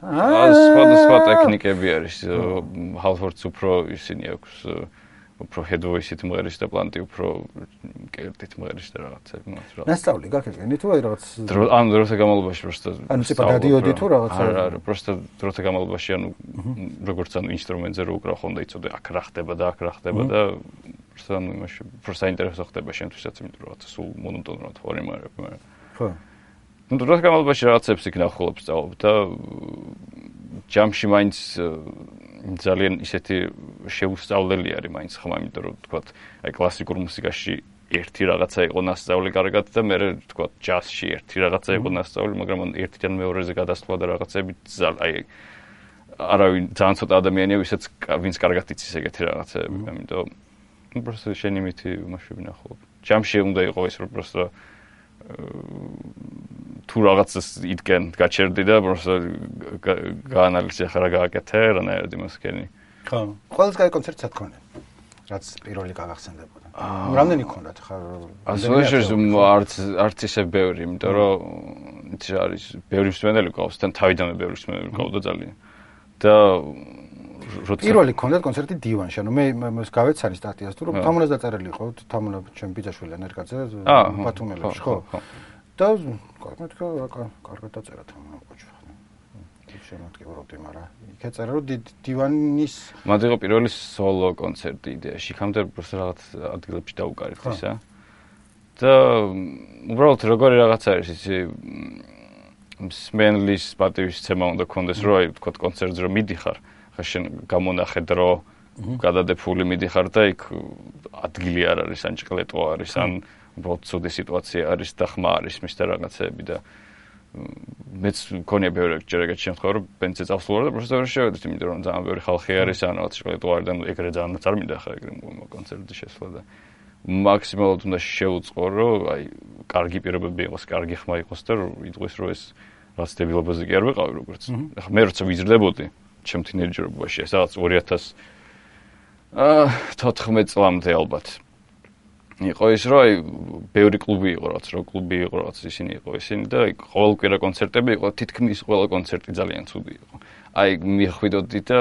სხვა ტექნიკები არის ჰალფორდს უფრო ისინი აქვს უფრო head-voice-ით მღერის და პლანტი უფრო კერტით მღერის და რაღაცები მათ რა. ნასწავლი გაკეთე თუ აი რაღაც ანუ დროთა განმავლობაში просто ანუ ტიპა დადიოდი თუ რაღაცა არა просто დროთა განმავლობაში ანუ როგორც ანუ ინსტრუმენტზე რო უკრავ ხონდა იცოდე აქ რა ხდება და აქ რა ხდება და просто ანუ იმაში უფრო საინტერესო ხდება შენთვისაც იმიტომ რომ რაღაცა სულ მონოტონურად ვარ იმარები მაგრამ ხო ну დროთა განმავლობაში რაღაცებს იქ ნახულობ სწავლობ და ჯამში მაინც ძალიან ისეთი შეუსწავლელი არის მაინც ხმა, იმიტომ რომ თქვა, აი კლასიკურ მუსიკაში ერთი რაღაცა იყო ნასწავლი კარგად და მე თქვა ჯაზში ერთი რაღაცა იყო ნასწავლი, მაგრამ ერთიდან მეორეზე გადასვლა და რაღაცები აი არავინ ძალიან ცოტა ადამიანია, ვინც კარგად იცის ეგეთი რაღაცები, ამიტომ просто შენი მითი მასშტაბი ნახულობ. ჯამში უნდა იყოს ის რომ просто თუ რაღაცას იდგენ გაჩერდი და просто გაანალიზე ხარ რა გააკეთე რანაირად იმას ქენი. ხო. ყველაზე კაი კონცერტი სათქონე. რაც პირველი გაგახსენდებოდა. რამდენი გქონდათ ხარ? არც ისე ბევრი, იმიტომ რომ ის არის ბევრი მსმენელი გყავს, თან თავიდანვე ბევრი მსმენელი გყავდა ძალიან. და პირველი გქონდათ კონცერტი დივანში, ანუ მე გავეცანი სტატიას თუ რომ თამონას დაწერილი იყო, თამონა ჩემ ბიძაშვილი ნერკაძე ბათუმელებში, ხო? და მეთქა კარგად დაწერა თამონა ყოჩა. შემოდგებოდი, მაგრამ იქ ეწერა რომ დივანის მათ იყო პირველი სოლო კონცერტი იდეაში, იქამდე просто რაღაც ადგილებში დაუკარით ისა. და უბრალოდ როგორი რაღაც არის ისი მსმენელის პატივისცემა უნდა კონდეს, რომ აი თქვა კონცერტზე რომ მიდიხარ, ხა შენ გამონახე დრო, გადადებული მიდიხარ და იქ ადგილი არ არის, ან ჭყლეტო არის, ან უბრალოდ ცუდი სიტუაცია არის და ხმა არის მის და რაღაცეები და მეც მქონია ბევრი ჯერაგად შემთხვევა რომ ბენძზე წავსულვარ და პროფესორ შევედით, იმიტომ რომ ძალიან ბევრი ხალხი არის, ან რაღაც ჭყლეტო არის და ეგრე ძალიან არ მინდა ხა ეგრე კონცერტზე შესვლა და მაქსიმალურად უნდა შევუწყო, რომ აი კარგი პირობები იყოს, კარგი ხმა იყოს და იტყვის რომ ეს რაც დებილობაზე კი არ ვიყავი როგორც. ახლა მე როცა ვიზრდებოდი ჩემ თინეიჯერობაში, ეს რაღაც 2014 წლამდე ალბათ. იყო ის რომ აი ბევრი კლუბი იყო, რაც რო კლუბი იყო, რაც ისინი იყო ისინი და აი ყოველკვირა კონცერტები იყო, თითქმის ყველა კონცერტი ძალიან ცუდი იყო. აი მიხვიდოდი და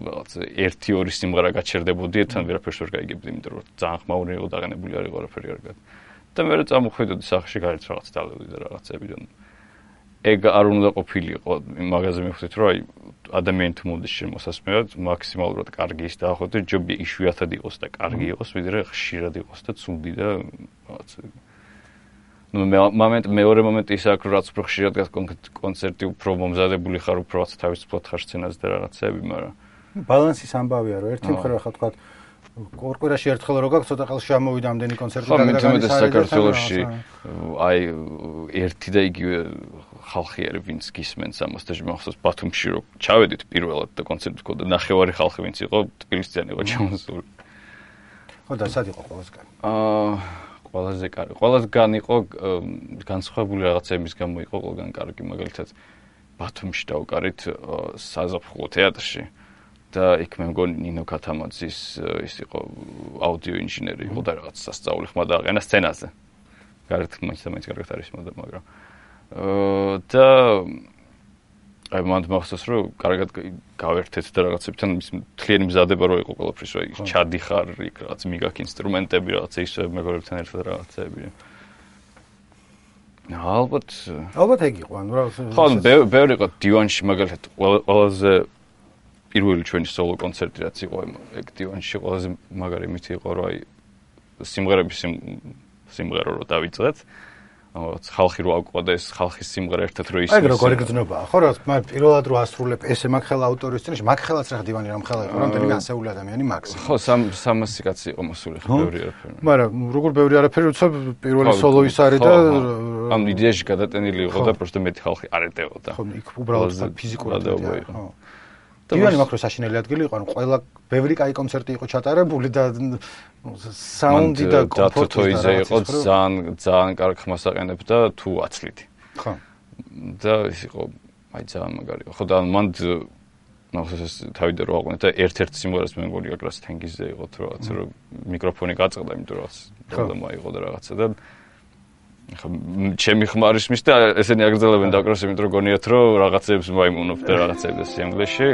რაღაც 1-2 სიმღერა გაჩერდებოდი, თან ვერაფერს ვერ გაიგებდი, იმიტომ რომ ძალიან ხმაური იყო დაღენებული არ იყო არაფერი კარგად. და მე წამოხვიდოდი სახლში გარეთ რაღაც დალევდი და რაღაცები და ეგ არ უნდა ყოფილიყო, მაგაზე მივხვდით რომ აი ადამიანი თუ მოდის შემოსასმევად, მაქსიმალურად კარგი ის დაახოთი, ჯობია იშვიათად იყოს და კარგი იყოს, ვიდრე ხშირად იყოს და ცუდი და რაღაც. ნუ მეორე მომენტი ის აქვს, რომ რაც უფრო ხშირად კონცერტი უფრო მომზადებული ხარ, უფრო რაც თავისუფლად ხარ სცენაზე და რაღაცები, მაგრამ ბალანსის ამბავია, რომ ერთი მხრივ ხა თქვა ორკვირაში ერთხელ რო გაქვს, ცოტა ხელში ამოვიდა ამდენი კონცერტი და გადაგანის საქართველოში აი ერთი და იგივე ხალხი არის, ვინც გისმენს ამას და მახსოვს ბათუმში რო ჩავედით პირველად და კონცერტი გქონდა, ნახევარი ხალხი ვინც იყო, თბილისიდან იყო ჩამოსული. ხო და სად იყო ყველასგან? ყველაზე კარგი. ყველასგან იყო განსხვავებული რაღაცების გამო იყო ყველგან კარგი, მაგალითად ბათუმში დავუკარით საზაფხულო თეატრში. და იქ მე მგონი ნინო ქათამაძის ის იყო აუდიო ინჟინერი იყო და რაღაც სასწაული ხმა დააყენა სცენაზე. გარეთ მაინც კარგად არის მოდა, მაგრამ და აი მანდ მახსოვს რომ კარგად გავერთეთ და რაღაცებთან ის მთლიანი მზადება რო იყო ყველაფრის, რომ ჩადიხარ იქ რაღაც მიგაქ ინსტრუმენტები, რაღაც ისე მეგობრებთან ერთად რაღაცეები. ალბათ ეგ იყო, ანუ რაღაც ხო, ბევრი იყო დივანში მაგალითად ყველაზე პირველი ჩვენი სოლო კონცერტი რაც იყო ეგ დივანში ყველაზე მაგარი მითი იყო რომ აი სიმღერა რო დავიწყეთ ხალხი რო აკვდა და ეს ხალხის სიმღერა ერთად რო ისმის. ეგ როგორი გძნობაა, ხო რა, მაგ პირველად რო ასრულებ ესე მაგ ხელა ავტორის წინაშე, მაგ ხელაც რა დივანი რამ ხელა იყო, რამდენი ასეული ადამიანი მაქსიმუმ. ხო, 300 კაცი იყო მოსული, ხო, ბევრი არაფერი. მაგრამ როგორ ბევრი არაფერი, როცა პირველი სოლო ის არის და ამ იდეაში გადატენილი იყო და პროსტო მეტი ხალხი არ ეტევოდა. ხო, იქ უბრალოდ ფიზიკურად იყო. დივანი მაქრო საშინელი ადგილი იყო, ანუ ყველა ბევრი კაი კონცერტი იყო ჩატარებული და საუნდი და კომფორტი იყო ძალიან კარგ ხმას აყენებდა თუ აცლით. ხო. და ის იყო აი ძალიან მაგარი. ხო და მანდ ნახოს თავიდან რო აყვანეთ და ერთ-ერთ სიმღერას მე მგონი აკრას თენგიზზე იყო თუ რაღაც რომ მიკროფონი გაწყდა, იმიტომ რომ პრობლემა იყო და რაღაცა და ხა ჩემი ხმარის მის და ესენი აგრძელებენ დაკროს, იმიტომ რომ გონიათ რომ რაღაცებს მაიმუნობ და რაღაცებს სიამგლეში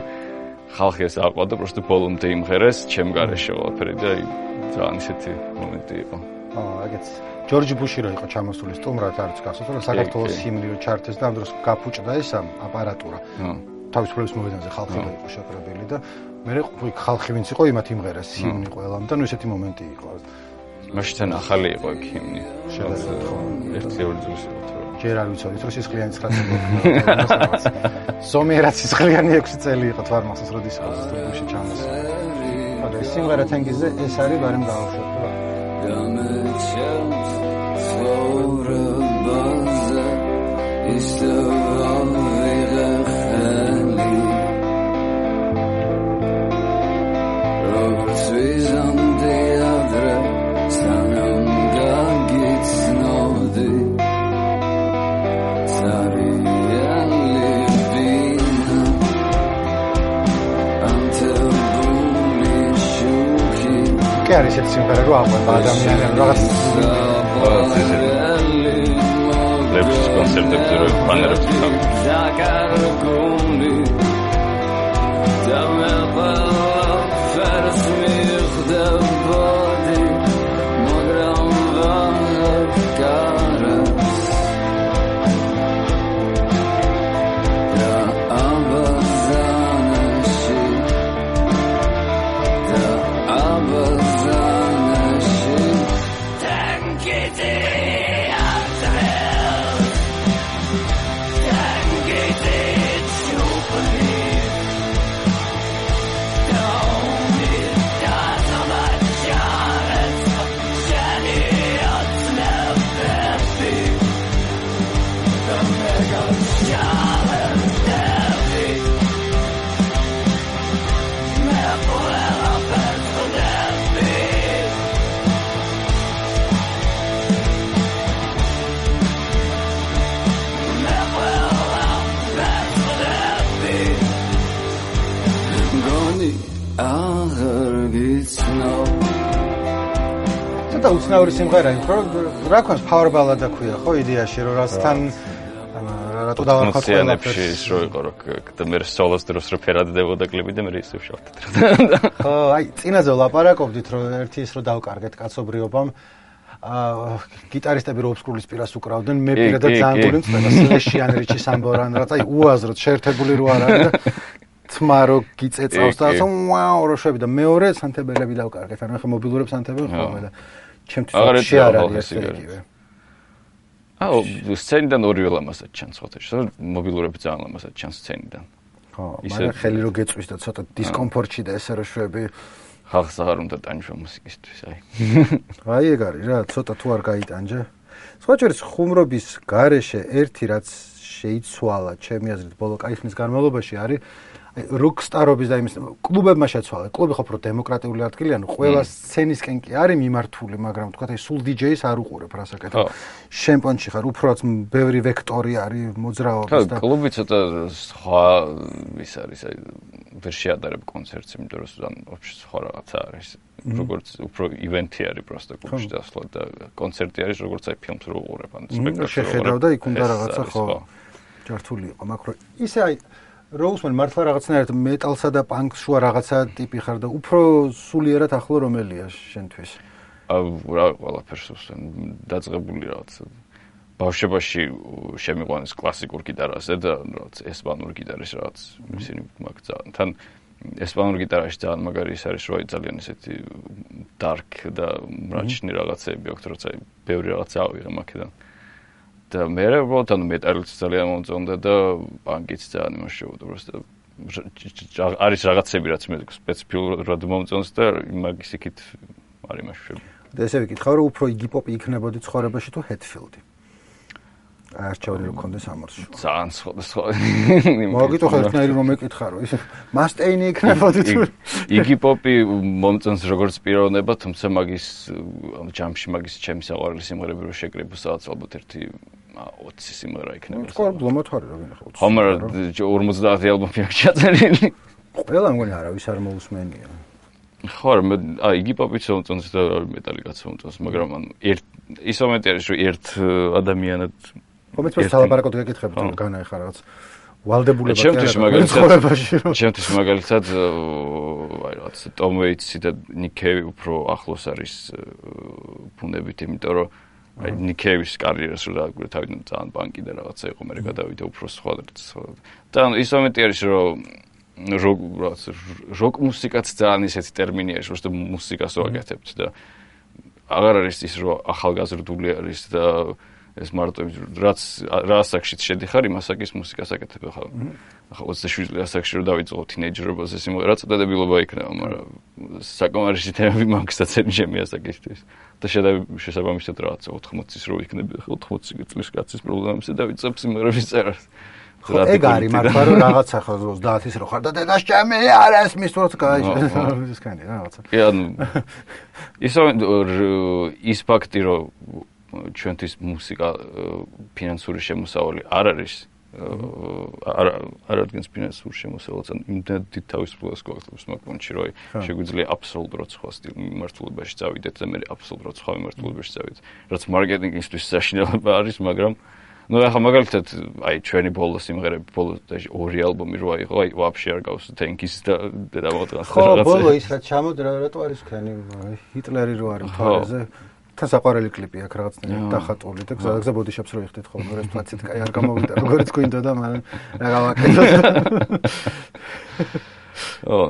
ხალხი ეს აყვა და პროსტო ბოლომდე იმღერეს ჩემ გარეშე ყველაფერი და ძალიან ისეთი მომენტი იყო. აგეც ჯორჯი ბუში რო იყო ჩამოსული სტუმრად არც გასულ, რომ საქართველოს ჰიმნი რო ჩართეს და ამ დროს გაფუჭდა ეს აპარატურა. თავისუფლების მოედანზე ხალხი იყო შეკრებილი და მე ხალხი ვინც იყო იმათ იმღერეს ჰიმნი ყველამ და ნუ ესეთი მომენტი იყო. მაშინ ახალი იყო ეგ ჰიმნი. შედარებით ხო. ერთ-ერთი წელს იყო თუ ჯერ არ ვიცოდით რომ სისხლიანი 9 წელი. ზომიერად სისხლიანი 6 წელი იყო თვარ მახსოვს როდის იყო სტუდიაში ჩამოსული. მაგრამ ეს სიმღერა თენგიზზე ეს არის ბარემ გავუშვებ რა. კი არის ეს სიმღერა რო აყვება ადამიანებს რაღაც ლევის კონცერტებზე რო პანერებს და უცნაური სიმღერა იქ რა ქვია power ballad-ა ქვია ხო იდეაში რომ რასთან რატო დავარქვათ ყველაფერს ის რო იყო რომ და მე სოლოს დროს რო ფერადდებოდა კლიპი და მე ისევ შევხვდით ხო აი წინაზე ვლაპარაკობდით რომ ერთი ის რომ დავკარგეთ კაცობრიობამ გიტარისტები რო ოფსკრულის პირას უკრავდნენ მე პირადად ძალიან გული მწვედა სლეშიან რიჩი სამბორან რაც აი უაზროდ შეერთებული რო არ არის და თმა რო გიწეწავს და ვაუ რო შვები და მეორე სანთებელები დავკარგეთ ანუ ხა მობილურებს სანთებელ ხოლმე და ჩემთვის არ არის ეგივე აუ სცენიდან ორივე ლამაზად ჩანს ხოთეში რომ მობილურები ძალიან ლამაზად ჩანს სცენიდან ხო მაგრამ ხელი რო გეწვის და ცოტა დისკომფორტში და ესე რო შვები ხალხს აღარ უნდა ტანჯვა მუსიკისთვის აი ეგ არის რა ცოტა თუ არ გაიტანჯე სხვაჭერის ხუმრობის გარეშე ერთი რაც შეიცვალა ჩემი აზრით ბოლო კაი ხნის განმავლობაში არის როკსტარობის და იმის კლუბებმა შეცვალა. კლუბი ხო უფრო დემოკრატიული ადგილია, ანუ ყველა სცენისკენ კი არის მიმართული, მაგრამ თქვა აი სულ DJ-ს არ უყურებ რასაკეთებ. შემპონში ხარ, უფროც ბევრი ვექტორი არის მოძრაობის და კლუბი ცოტა სხვა ის არის, აი ვერ შეადარებ კონცერტს, იმიტომ რომ სულ вообще სხვა რაღაცა არის. როგორც უფრო ივენთი არის პროსტა კლუბში დასვლა და კონცერტი არის, როგორც აი ფილმს რო უყურებ, ან სპექტაკლს. შეხედავ და იქ უნდა რაღაცა ხო ჯართული იყო, მაგრამ ისე აი როუსმენ მართლა რაღაცნაირად მეტალსა და პანკს შუა რაღაცა ტიპი ხარ და უფრო სულიერად ახლო რომელია შენთვის? რა ყველაფერს დაწყებული რაღაც ბავშვობაში შემიყვანეს კლასიკურ გიტარაზე და რაღაც ესპანურ გიტარის რაღაც ისინი მაგცა თან ესპანურ გიტარაში ძალიან მაგარი ის არის რომ ძალიან ესეთი dark და მრაჩნი რაღაცები აქვს როცა ბევრი რაღაცა ავიღე მაქედან და მე უბრალოდ ანუ მეტალიც ძალიან მომწონდა და პანკიც ძალიან იმუშავდა უბრალოდ არის რაღაცები რაც მე სპეციფიურად მომწონს და მაგის იქით არ იმუშავებ და ესე ვიკითხავ რომ უფრო იგი პოპი იქნებოდი ცხოვრებაში თუ ჰედფილდი არჩეული რო კონდეს ამორში ძალიან სხვა მოგიტო ხერხნაირი რომ მეკითხა რომ ის მასტეინი იქნებოდი თუ იგი პოპი მომწონს როგორც პიროვნება თუმცა მაგის ჯამში მაგის ჩემი საყვარელი სიმღერები რო შეკრიბო სადაც ალბათ ერთი 20 სიმღერა იქნება პრობლემათ არის რა ვინახავ ხო მაგრამ 50 ალბომი აქვს ჩაწერილი ყველა მგონი არავის არ მოусმენია ხო აი იგი პოპიც მომწონს და მეტალიკაც მომწონს მაგრამ ანუ ის მომენტი არის რომ ერთ ადამიანად კომენტს სალაპარაკოდ გეკითხებით რომ განაიხარ რაღაც ვალდებულება ჩემთვის მაგალითად აი რაღაც ტომ ვეიტსი და ნიკ კეივი უფრო ახლოს არის ფუნდებით იმიტომ რომ აი ნიკ კეივის კარიერას რო დაგვირ თავიდან ძალიან პანკი და რაღაცა იყო მე გადავიდე უფრო სხვა და ის მომენტი არის რომ როკ მუსიკაც ძალიან ისეთი ტერმინი არის რომ მუსიკას ვაკეთებთ და აღარ არის ის რომ ახალგაზრდული არის და ეს მარტო რაც რა ასაკშიც შედიხარ იმ ასაკის მუსიკას აკეთებ ახლა 27 წლის ასაკში რომ დავიწყო თინეიჯერობაზე სიმღერა წადებილობა იქნება მაგრამ საკმარისი თემები მაქვს დაცემი ჩემი ასაკისთვის და შესაბამისად რაღაც 80-ის რო იქნები 80 წლის კაცის პრობლემებს და დავიწყებ სიმღერების წერას ხო ეგ არის მართლა რომ რაღაცა ხო 30-ის რო ხარ და დედას ჩემი არ ესმის თორც გაიჭირეს კანი რაღაცა კი ანუ ის ფაქტი რომ ჩვენთვის მუსიკა ფინანსური შემოსავალი არ არის არ ადგენს ფინანსურ შემოსავალს ან იმდენად დიდ თავისუფლებას გვაქვს მაგონში რომ შეგვიძლია აბსოლუტურად სხვა მიმართულებაში წავიდეთ და მე აბსოლუტურად სხვა მიმართულებაში წავიდეთ რაც მარკეტინგისთვის საშინელება არის მაგრამ ну ახლა მაგალითად აი ჩვენი ბოლო სიმღერები ბოლო 2 ალბომი რო აიღო აი ვაფშე არ გავს თენკის და დემოდგას ხო ბოლო ის რაც ჩამოდრა რატო არის ქენი ჰიტლერი რო არის მთვარეზე თან საყვარელი კლიპი აქვს რაღაცნაირად დახატული და გზადაგზა ბოდიშაპს რო იხდით ხოლმე ეს პლაცით კაი არ გამოვიდა როგორც გვინდა და მაგრამ რა გავაკეთოთ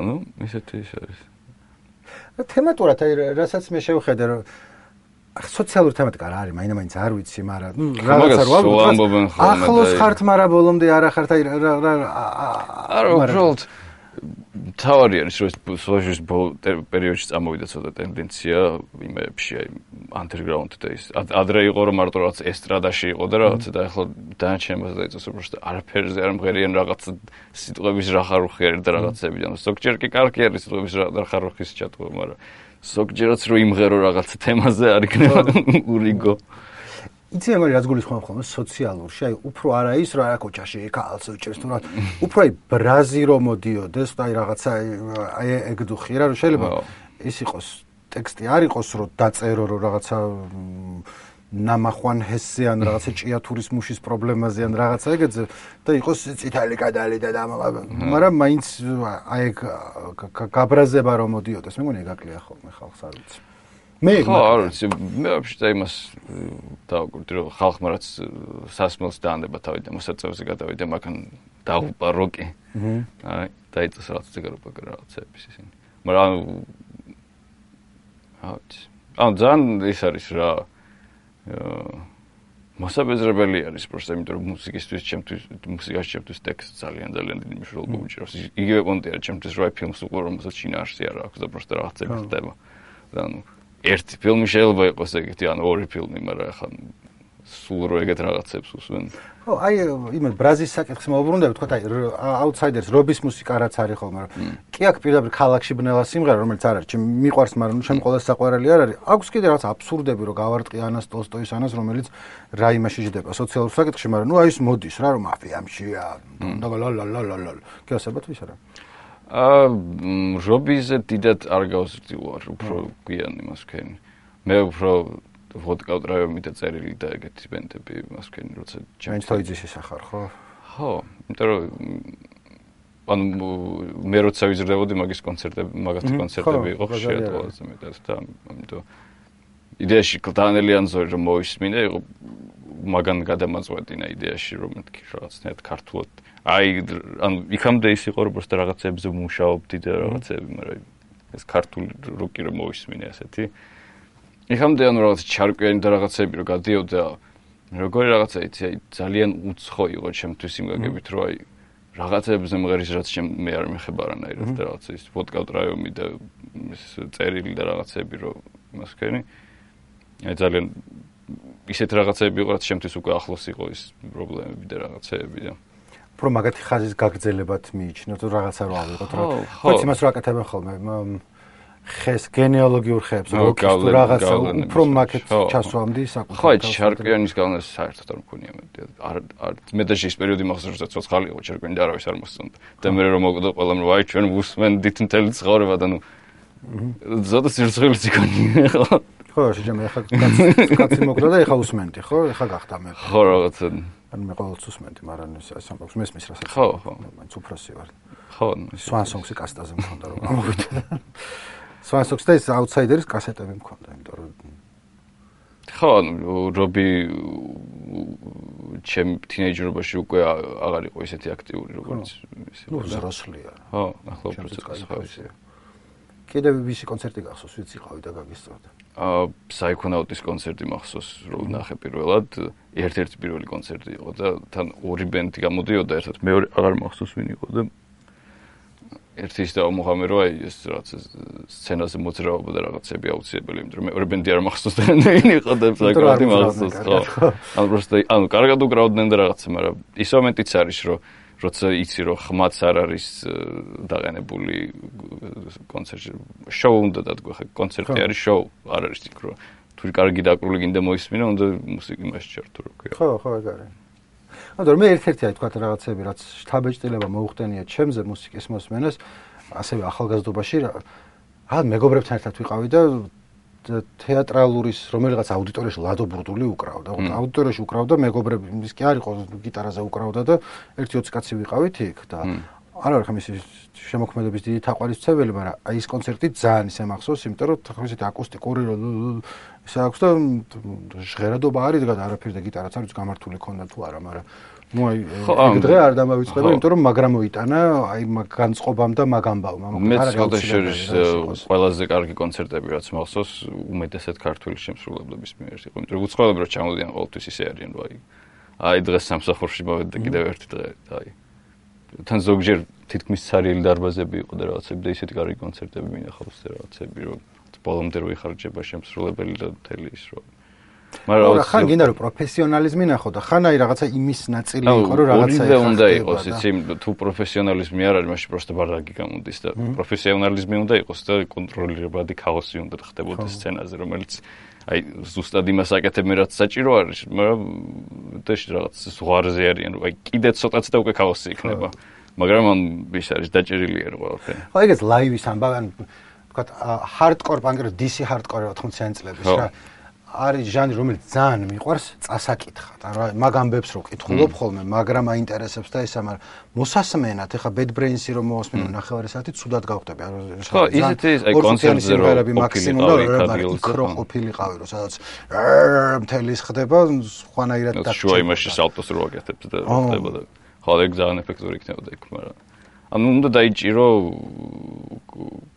ну ისეთი ის არის თემატურად აი რასაც მე შევხედე რომ სოციალური თემატიკა რა არის მაინც არ ვიცი მაგრამ რაღაცა რო ამბობენ ხოლმე ახლოს ხართ მაგრამ ბოლომდე არა ხართ აი არა უბრალოდ თავარი არის რომ სოციალიზმის პერიოდში წამოვიდა ცოტა ტენდენცია იმებში აი underground და ის ადრე იყო რომ მარტო რაღაც ესტრადაში იყო და რაღაცა და ახლა დანარჩენებას დაიწევს უბრალოდ არაფერზე არ მღერიან რაღაც სიტყვების რა ხარუხი არის და რაღაცები და ზოგჯერ კი კარგი არის სიტყვების რა ხარუხის ჩატყვა მაგრამ ზოგჯერაც რო იმღერო რაღაცა თემაზე არ იქნება ურიგო იცი მე რაც გულისხმობ ხოლმე სოციალურში აი უფრო არა ის რა კოჩაში კალს უჭერს თუ რა უფრო აი ბრაზი რომ მოდიოდეს და აი რაღაცა აი ეგ დუხი რა რომ შეიძლება ის იყოს ტექსტი არ იყოს რომ დაწერო რომ რაღაცა ნამახვან ჰესზე ან რაღაცა ჭიათურის მუშის პრობლემაზე ან რაღაცა ეგეზე და იყოს წითელი კადალი და მაგრამ მაინც აი ეგ გაბრაზება რომ მოდიოდეს მე მგონი ეგ აკლია ხოლმე ხალხს არ ვიცი მე არ ვიცი მე ვაფშე იმას დავაკვირდი რომ ხალხმა რაც სასმელს დაანდება თავი და მოსაწევზე გადავიდა მაგან დაუპა როკი აი დაიწეს რაღაც ციგაროპაკ რაღაცების ისინი მაგრამ ანუ ძალიან ის არის რა მოსაბეზრებელი არის პროსტა იმიტომ რომ მუსიკაში ჩემთვის ტექსტი ძალიან დიდი მნიშვნელობა უჭირავს იგივე პონტი არის ჩემთვის რა ფილმს უყურე რომელსაც შინაარსი არ აქვს და პროსტა რაღაცები ხდება და ანუ ერთი ფილმი შეიძლება იყოს ეგეთი ან 2 ფილმი მაგრამ ახლა სულ რო ეგეთ რაღაცებს უსვენ ხო აი იმე ბრაზის საკითხს მოვუბრუნდები თქვა აი აუთსაიდერს რობის მუსიკა რაც არის ხოლმე მაგრამ კი აქ პირდაპირ ქალაქში ბნელა სიმღერა რომელიც არ არის მიყვარს მაგრამ ჩემ ყოველს საყვარელი არ არის აქვს კიდე რაღაც აბსურდები რო გავარტყი ანას ტოლსტოის ანას რომელიც რა იმაში ჯდება სოციალურ საკითხში მაგრამ ნუ აი ის მოდის რა რომ მაფიამშია და ლალალალალ გასაბათ ვის არა რობიზე დიდად არ გავსრდილვარ უფრო გვიან იმას ვქენი მე უფრო ვოდკა ტრაიომი და წერილი და ეგეთი ბენდები იმას ვქენი როცა ჯენთოიძის ისახარ ხო ხო იმიტომ რომ ანუ მე როცა ვიზრდებოდი მაგის კონცერტები იყო ხშირად ყველაზე მეტად და ამიტომ იდეაში კლდანელი ანზორი რომ მოისმინე იყო მაგან გადამაწყვეტინა იდეაში რომ მეთქი რაღაცნაირად ქართულად აი ანუ იქამდე ის იყო რომ პროსტა რაღაცებზე ვმუშაობდი და რაღაცები მაგრამ ეს ქართული როკი რომ მოისმინე ასეთი იქამდე ანუ რაღაც ჩარკვიანი და რაღაცები რომ გადიოდა როგორი რაღაცა იცი აი ძალიან უცხო იყო ჩემთვის იმ გაგებით რომ აი რაღაცებზე მღერის რაც მე არ მეხება არანაირად და რაღაცა ის ვოდკა ტრაიომი და ის წერილი და რაღაცები რომ იმას ვქენი აი ძალიან ისეთ რაღაცები იყო რაც ჩემთვის უკვე ახლოს იყო ის პრობლემები და რაღაცები და უფრო მაგათი ხაზის გაგრძელებად მიიჩნევ თუ რაღაცა რო ავიღოთ რა ხო იმას რო აკეთებენ ხოლმე ხეს გენეალოგიურ ხეებს როკის თუ რაღაცა უფრო მაგეთ ჩასვამდი საკუთარ ხო ჩარკვიანის განას საერთოდ არ მქონია მე და ის პერიოდი მახსოვს რომ ცოცხალი იყო ჩარკვიანი და არავის არ მოსწონდა და მე რომ მოვკვდა ყველამ რომ აი ჩვენ ვუსმენდით მთელი ცხოვრება და ნუ ზოთა სირცხვილიც იქონია ხო შეჯამე ახლა კაცი მოკდა და ახლა უსმენდი ხო ახლა გახდა მე ხო რაღაცა ან მე ყოველთვის უსმენდი მაგრამ ეს ამბობს მესმის რასაც ხო მაინც უფროსი ვარ ხო სვანსონგსი კასტაზე მქონდა რომ გამოვიდა სვანსონგს და ეს აუთსაიდერის კასეტები მქონდა იმიტომ რომ ხო რობი ჩემ თინეიჯერობაში უკვე აღარ იყო ისეთი აქტიური როგორც ისე ნუ ზროსლია ხო ახლა უფრო ხავსია კიდევ ვისი კონცერტი გახსოვს ვიც იყავი და გაგისწორდა საიქონაუტის კონცერტი მახსოვს რომ ნახე პირველად ერთ-ერთი პირველი კონცერტი იყო და თან 2 ბენდი გამოდიოდა ერთად მეორე აღარ მახსოვს ვინ იყო და ერთი ის დაუმოღამე რომ აი ეს რაღაც სცენაზე მოძრაობა და რაღაცები აუცილებელი იმიტომ რომ მეორე ბენდი არ მახსოვს და ვინ იყო და საკმაოდ მახსოვს ხო ანუ პროსტა ანუ კარგად უკრავდნენ და რაღაცა მაგრამ ის მომენტიც არის რომ როცა იცი რომ ხმაც არ არის დაყენებული კონცერტში შოუ უნდა დადგო ხა კონცერტი არის შოუ არ არის იქ რომ თუ კარგი დაკრული გინდა მოისმინო უნდა მუსიკა იმაში ჩართო რო ქვია ხო ეგ არის ანუ მე ერთ-ერთი აი თქვა რაღაცები რაც შთაბეჭდილება მოუხდენია ჩემზე მუსიკის მოსმენას ასევე ახალგაზრდობაში რა მეგობრებთან ერთად ვიყავი და თეატრალურის რომელიღაც აუდიტორიაში ლადო ბრუდული უკრავდა. აუდიტორიაში უკრავდა მეგობრები, ის კი არ იყო გიტარაზე უკრავდა და 1-20 კაცი ვიყავით იქ და არ ვარ ხომ ის შემოქმედების დიდი თაყვანისმცემელი, მაგრამ აი ეს კონცერტი ძალიან ისე მახსოვს, იმიტომ რომ თქო ისეთი აკუსტიკური ისე აქვს და ჟღერადობა არის და არაფერი და გიტარაც არის გამართული ქონდა თუ არა, მაგრამ ნუ აი დღე არ დამავიწყდება, იმიტომ რომ მაგრამ მოიტანა აი განწყობამ და მაგამბავმა. მეც ხალხაშორის ყველაზე კარგი კონცერტები რაც მახსოვს, უმეტესად ქართული შემსრულებლების მიერ იყო, იმიტომ რომ უცხოელები რო ჩამოდიან ყოველთვის ისე არიან, რომ აი დღეს სამსახურში მოვედი და კიდევ ერთი დღე და აი თან ზოგჯერ თითქმის ცარიელი დარბაზები იყო და რაღაცები და ისეთი კარგი კონცერტები მინახავს და რაღაცები რომ ბოლომდე რო იხარჯება შემსრულებელი და მთელი ის რო მაგრამ ხან გინდა რომ პროფესიონალიზმი ნახო და ხან აი რაღაცა იმის ნაწილი იყო რომ რაღაცა ეხა უნდა იყოს იცი თუ პროფესიონალიზმი არ არის მაშინ პროსტა ბარდაკი გამოდის და პროფესიონალიზმი უნდა იყოს და კონტროლირებადი ქაოსი უნდა ხდებოდეს სცენაზე რომელიც აი ზუსტად იმას აკეთებენ რაც საჭირო არის მაგრამ დეში რაღაც ზღვარზე არიან რომ აი კიდე ცოტაც და უკვე ქაოსი იქნება მაგრამ ამ ის არის დაჭერილი არ ყველაფერი ხო ეგეც ლაივის ამბავი ან ვთქვათ ჰარდკორ პანკ დისი ჰარდკორი 80-იანი წლების რა არის ჟანრი რომელიც ძალიან მიყვარს წასაკითხად ანუ მაგ ამბებს რო კითხულობ ხოლმე მაგრამ აინტერესებს და ისა მაგრამ მოსასმენად ეხა Bad Brains-ი რომ მოვასმინო ნახევარი საათი ცუდად გავხდები ანუ ხო ისეთი აი კონცერტზე რომ მაქსიმუმ და იქრო ყოფილიყავი რომ სადაც მთელი ხდება სხვანაირად და შუა იმაში სალტოს რო აკეთებს და ხდება და ხო ეგ ძალიან ეფექტური იქნებოდა იქ მაგრამ ანუ უნდა დაიჭირო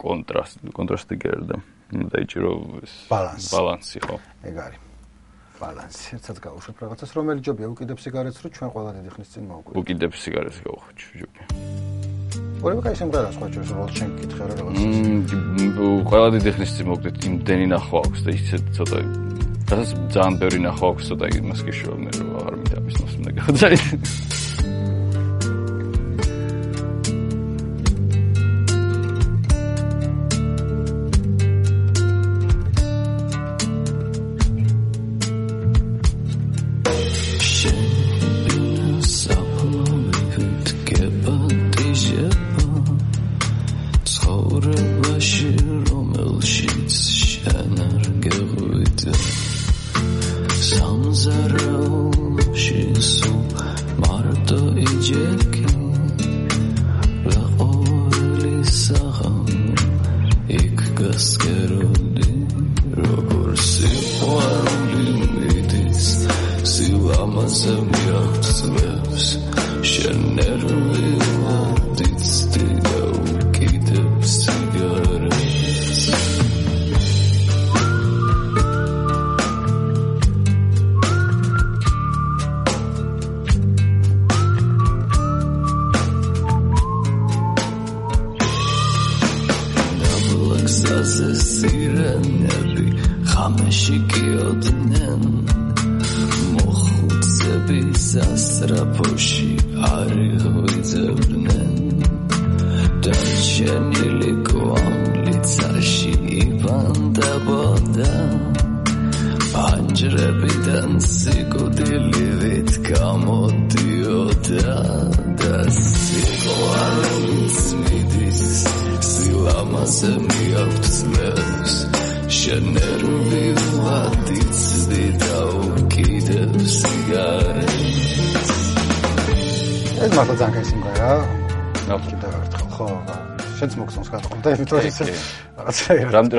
კონტრასტი გერდა დაიჭირო ბალანსი ხო ეგ არის ბალანსი ერთად გავუშვებ რაღაცას რომელი ჯობია უკიდებ სიგარეტს რო ჩვენ ყველა დიდი ხნის წინ მოვუკვირდით უკიდებ სიგარეტს გავუხვიჩ ჯობია ორივე კაი სიმღერას ხვაჩოს რო შენ კითხე რა რაღაცა ყველა დიდი ხნის წინ მოვუკვირდით იმდენი ნახვა აქვს და ისე ცოტა რაღაც ძალიან ბევრი ნახვა აქვს ცოტა იმას გიშო მე რო აღარ მიდამისნოს უნდა გავძაი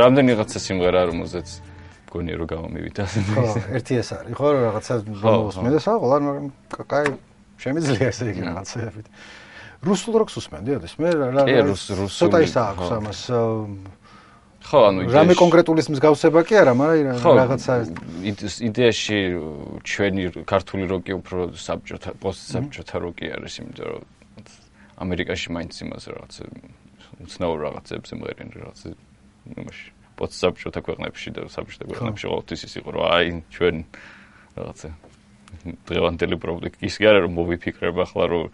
რამდენი რაღაცა სიმღერა რომელზეც გონია რომ გამომივიდა ხო ერთი ეს არის ხო რაღაცა მოსმენ და საყოლა მაგრამ კაი შემიძლია ესე იგი რაღაცები რუსულ როკს უსმენდი ოდეს მე რა ცოტა ის აქვს ამას ხო ანუ რამე კონკრეტულის მსგავსება კი არა მაგრამ რაღაცა იდეაში ჩვენი ქართული როკი უფრო საბჭოთა პოსტსაბჭოთა როკი არის იმიტომ რომ ამერიკაში მაინც იმას რაღაცა უცნაურ რაღაცებს იმღერიან რაღაც იმაში პოსტსაბჭოთა ქვეყნებში და საბჭოთა ქვეყნებში ყოველთვის ის იყო რომ აი ჩვენ რაღაცა დღევანდელი პრობლემა ის კი არა რომ მოვიფიქრებ ახლა რომ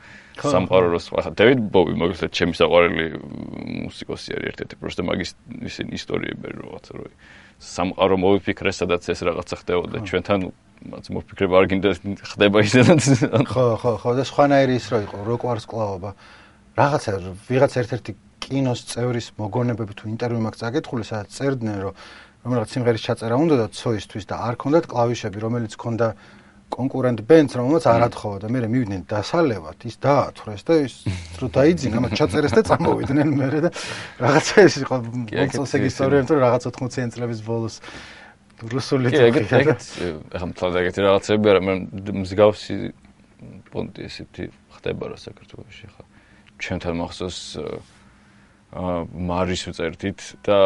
სამყარო რო სხვა დევიდ ბოვი მაგალითად ჩემი საყვარელი მუსიკოსი არის ერთ-ერთი პროსტა მაგის ისინი ისტორიები რაღაცა რომ სამყარო მოვიფიქრე სადაც ეს რაღაცა ხდებოდა ჩვენთან რაც მოვიფიქრებ არ გინდა ხდება ისედაც ხო და სხვანაირი ის რო იყო როკვარს კლაობა რაღაცა ვიღაც ერთ-ერთი კინოს წევრის მოგონებები თუ ინტერვიუ მაგ წაკითხული სადაც წერდნენ რომ რომელიღაც სიმღერის ჩაწერა უნდა და ცოისთვის და არ ქონდათ კლავიშები, რომელიც ქონდა კონკურენტ ბენდს, რომელსაც არ ათხოვა და მე მივიდნენ დასალევად, ის დაათვრეს და ის რო დაიძინა, მათ ჩაწერეს და წამოვიდნენ მე და რაღაცა ეს იყო მომწონს ეგ ისტორია, იმიტომ რომ რაღაც 80-იან წლების ბოლოს რუსული ეგეთ ახლა მთლად ეგეთი რაღაცები არა, მე მსგავსი პონტი ესეთი ხდება რა საქართველოში ხა. ჩვენთან მახსოვს მარის ვწერდით და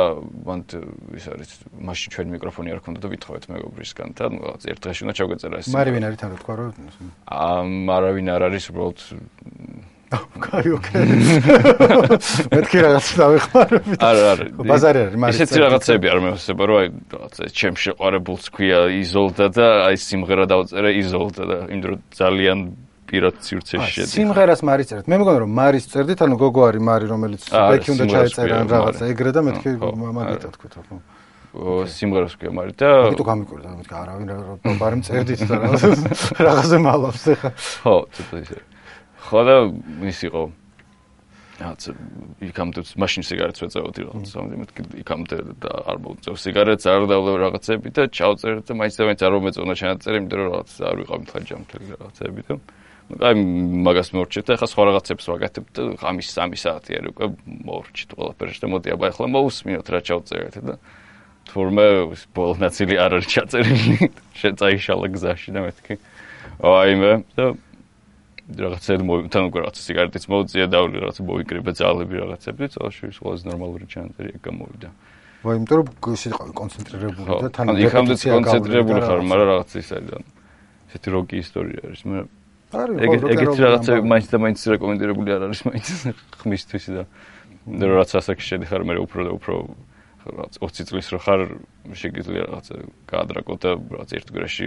მან ის არის მაშინ ჩვენ მიკროფონი არ ქონდა და ვითხოვეთ მეგობრისგან და რაღაც ერთ დღეში უნდა ჩავგეწერა ეს. მარი ვინ არის თან რა თქვა რომ არავინ არ არის უბრალოდ კაი ოკეი. მეთქი რაღაც დავეხმარებით. არა. ბაზარი არის მარის. ისეთი რაღაცები არ მეხსება რომ აი რაღაცა ჩემ შეყვარებულს ქვია იზოლდა და აი სიმღერა დავწერე იზოლდა და იმ დრო ძალიან პირად სივრცეში შედი. სიმღერას მარის წერეთ. მე მგონი რომ მარის წერდით, ანუ გოგო არის მარი, რომელიც ბექი უნდა ჩაეწერა რაღაცა ეგრე და მეთქი მაგიტად თქვით ხო. სიმღერას ქვია მარი და მაგიტო გამიკვირდა, მეთქი არავინ ბარი წერდით და რაღაცა მალავს ხა. ხო, ცოტა ისე. ხო და ის იყო რაც იქამდე მაშინ სიგარეტს ვეწევოდი რაღაც მეთქი იქამდე და არ მოვწევ სიგარეტს არ დავлев რაღაცები და ჩავწერე და მაინც არ მომეწონა ჩანაწერი, იმიტომ რომ რაღაც არ ვიყავ მთლიანად რაღაცები და აი მაგას მოვრჩით და ახლა სხვა რაღაცებს ვაკეთებ და ღამის 3 საათი არის უკვე მოვრჩით ყველაფერში და მოდი აბა ახლა მოусმინოთ რა ჩავწერეთ და თურმე ბოლო ნაწილი არ არის ჩაწერილი შეწაიშალა გზაში და მეთქი აი მე და რაღაცები თან უკვე რაღაც სიგარეტიც მოვწია და რაღაც მოვიკრიბე ძალები რაღაცები და წელში ყველაზე ნორმალური ჩანაწერი ეგ გამოვიდა. ვაი, იმიტომ რომ ისე იყო კონცენტრირებული და თან იქამდე კონცენტრირებული ხარ, მაგრამ რაღაც ის არის და ესეთი როკი ისტორია არის. მე ეგეთი რაღაცები მაინც და მაინც რეკომენდირებული არ არის მაინც ხმისთვის და რაც ასაკში შედიხარ მე უფრო და უფრო რაღაც 20 წლის რო ხარ შეგიძლია რაღაცა გაადრაკო და რაღაც ერთ გვერდში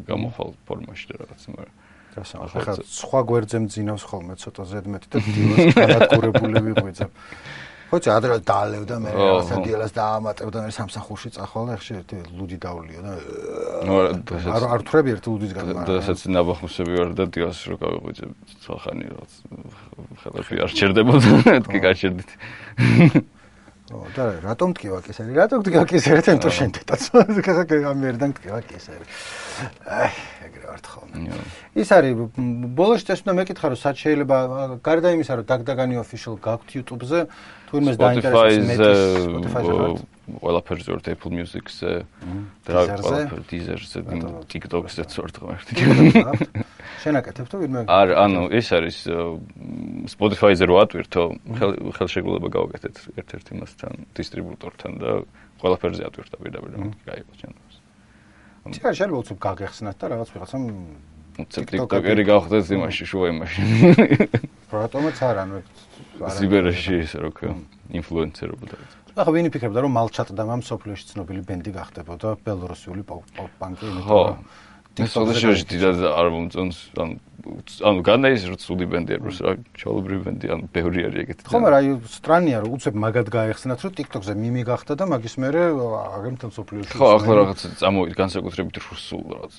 გამოხვალ ფორმაში და რაღაც მაგრამ ახლა სხვა გვერდზე მძინავს ხოლმე ცოტა ზედმეტი და დილას განადგურებული ვიღვიძებ. ხოჭი ადრე დაალევ და მე რაღაცა დილას დაამატებ და მე სამსახურში წახვალ და ხშირ ერთი ლუდი დავლიო და არ ვთვრები ერთი ლუდისგან მაგრამ დასაც ნაბახმსები ვარ და დილას რო გავიღვიძებ ცალხანი რაღაც ხელები არ ჩერდებოდა მეთქი გაჩერდით. და რატომ მткиვა კისერი? რატომ მткиვა კისერი? თემ თუ შენ დედაც ამერიდან მткиვა კისერი. ეგრე ვარ ხოლმე. ის არის ბოლოს ეს უნდა მეკითხა რომ სად შეიძლება გარდა იმისა რომ დაგდაგანი official გაქვთ YouTube-ზე თუ იმას დაინტერესებს მეტი Spotify-ზე ყველაფერზე ვარ Apple Music-ზე და ყველაფერ Deezer-ზე TikTok-ზე ვარ ღმერთი. შენ აკეთებ თუ ვინმე? არა, ანუ ეს არის Spotify-ზე რო ატვირთო, ხელშეკრულება გავაკეთეთ ერთ-ერთ იმასთან, დისტრიბუტორთან და ყველაფერზე ატვირთა პირდაპირ და გაიყო ჩემს. შეიძლება შეიძლება უცებ გაგეხსნათ და რაღაც ვიღაცამ TikTok-ერი გავხდეთ იმაში შუა იმაში. რატომაც არ ანუ სიბერეში ისე რო ქვია, ინფლუენსერობა და ახლა ვინი ფიქრობდა რომ მალჩატდა მამ სოფლიოში ცნობილი ბენდი გახდებოდა ბელორუსიული პანკი იმიტომ TikTok-ში დიდად არ მომწონს ანუ განაის რო ცუდი ბენდი არის რა ჩაოლებრივი ბენდი ანუ ბევრი არის ეგეთი ხომ არა აი სტრანია რომ უცებ მაგად გაეხსნათ რომ TikTok-ზე მიმი გახდა და მაგის მერე აგერ მთელ სოფლიოში ხო ახლა რაღაც წამოვიდა განსაკუთრებით რუსულ რაღაც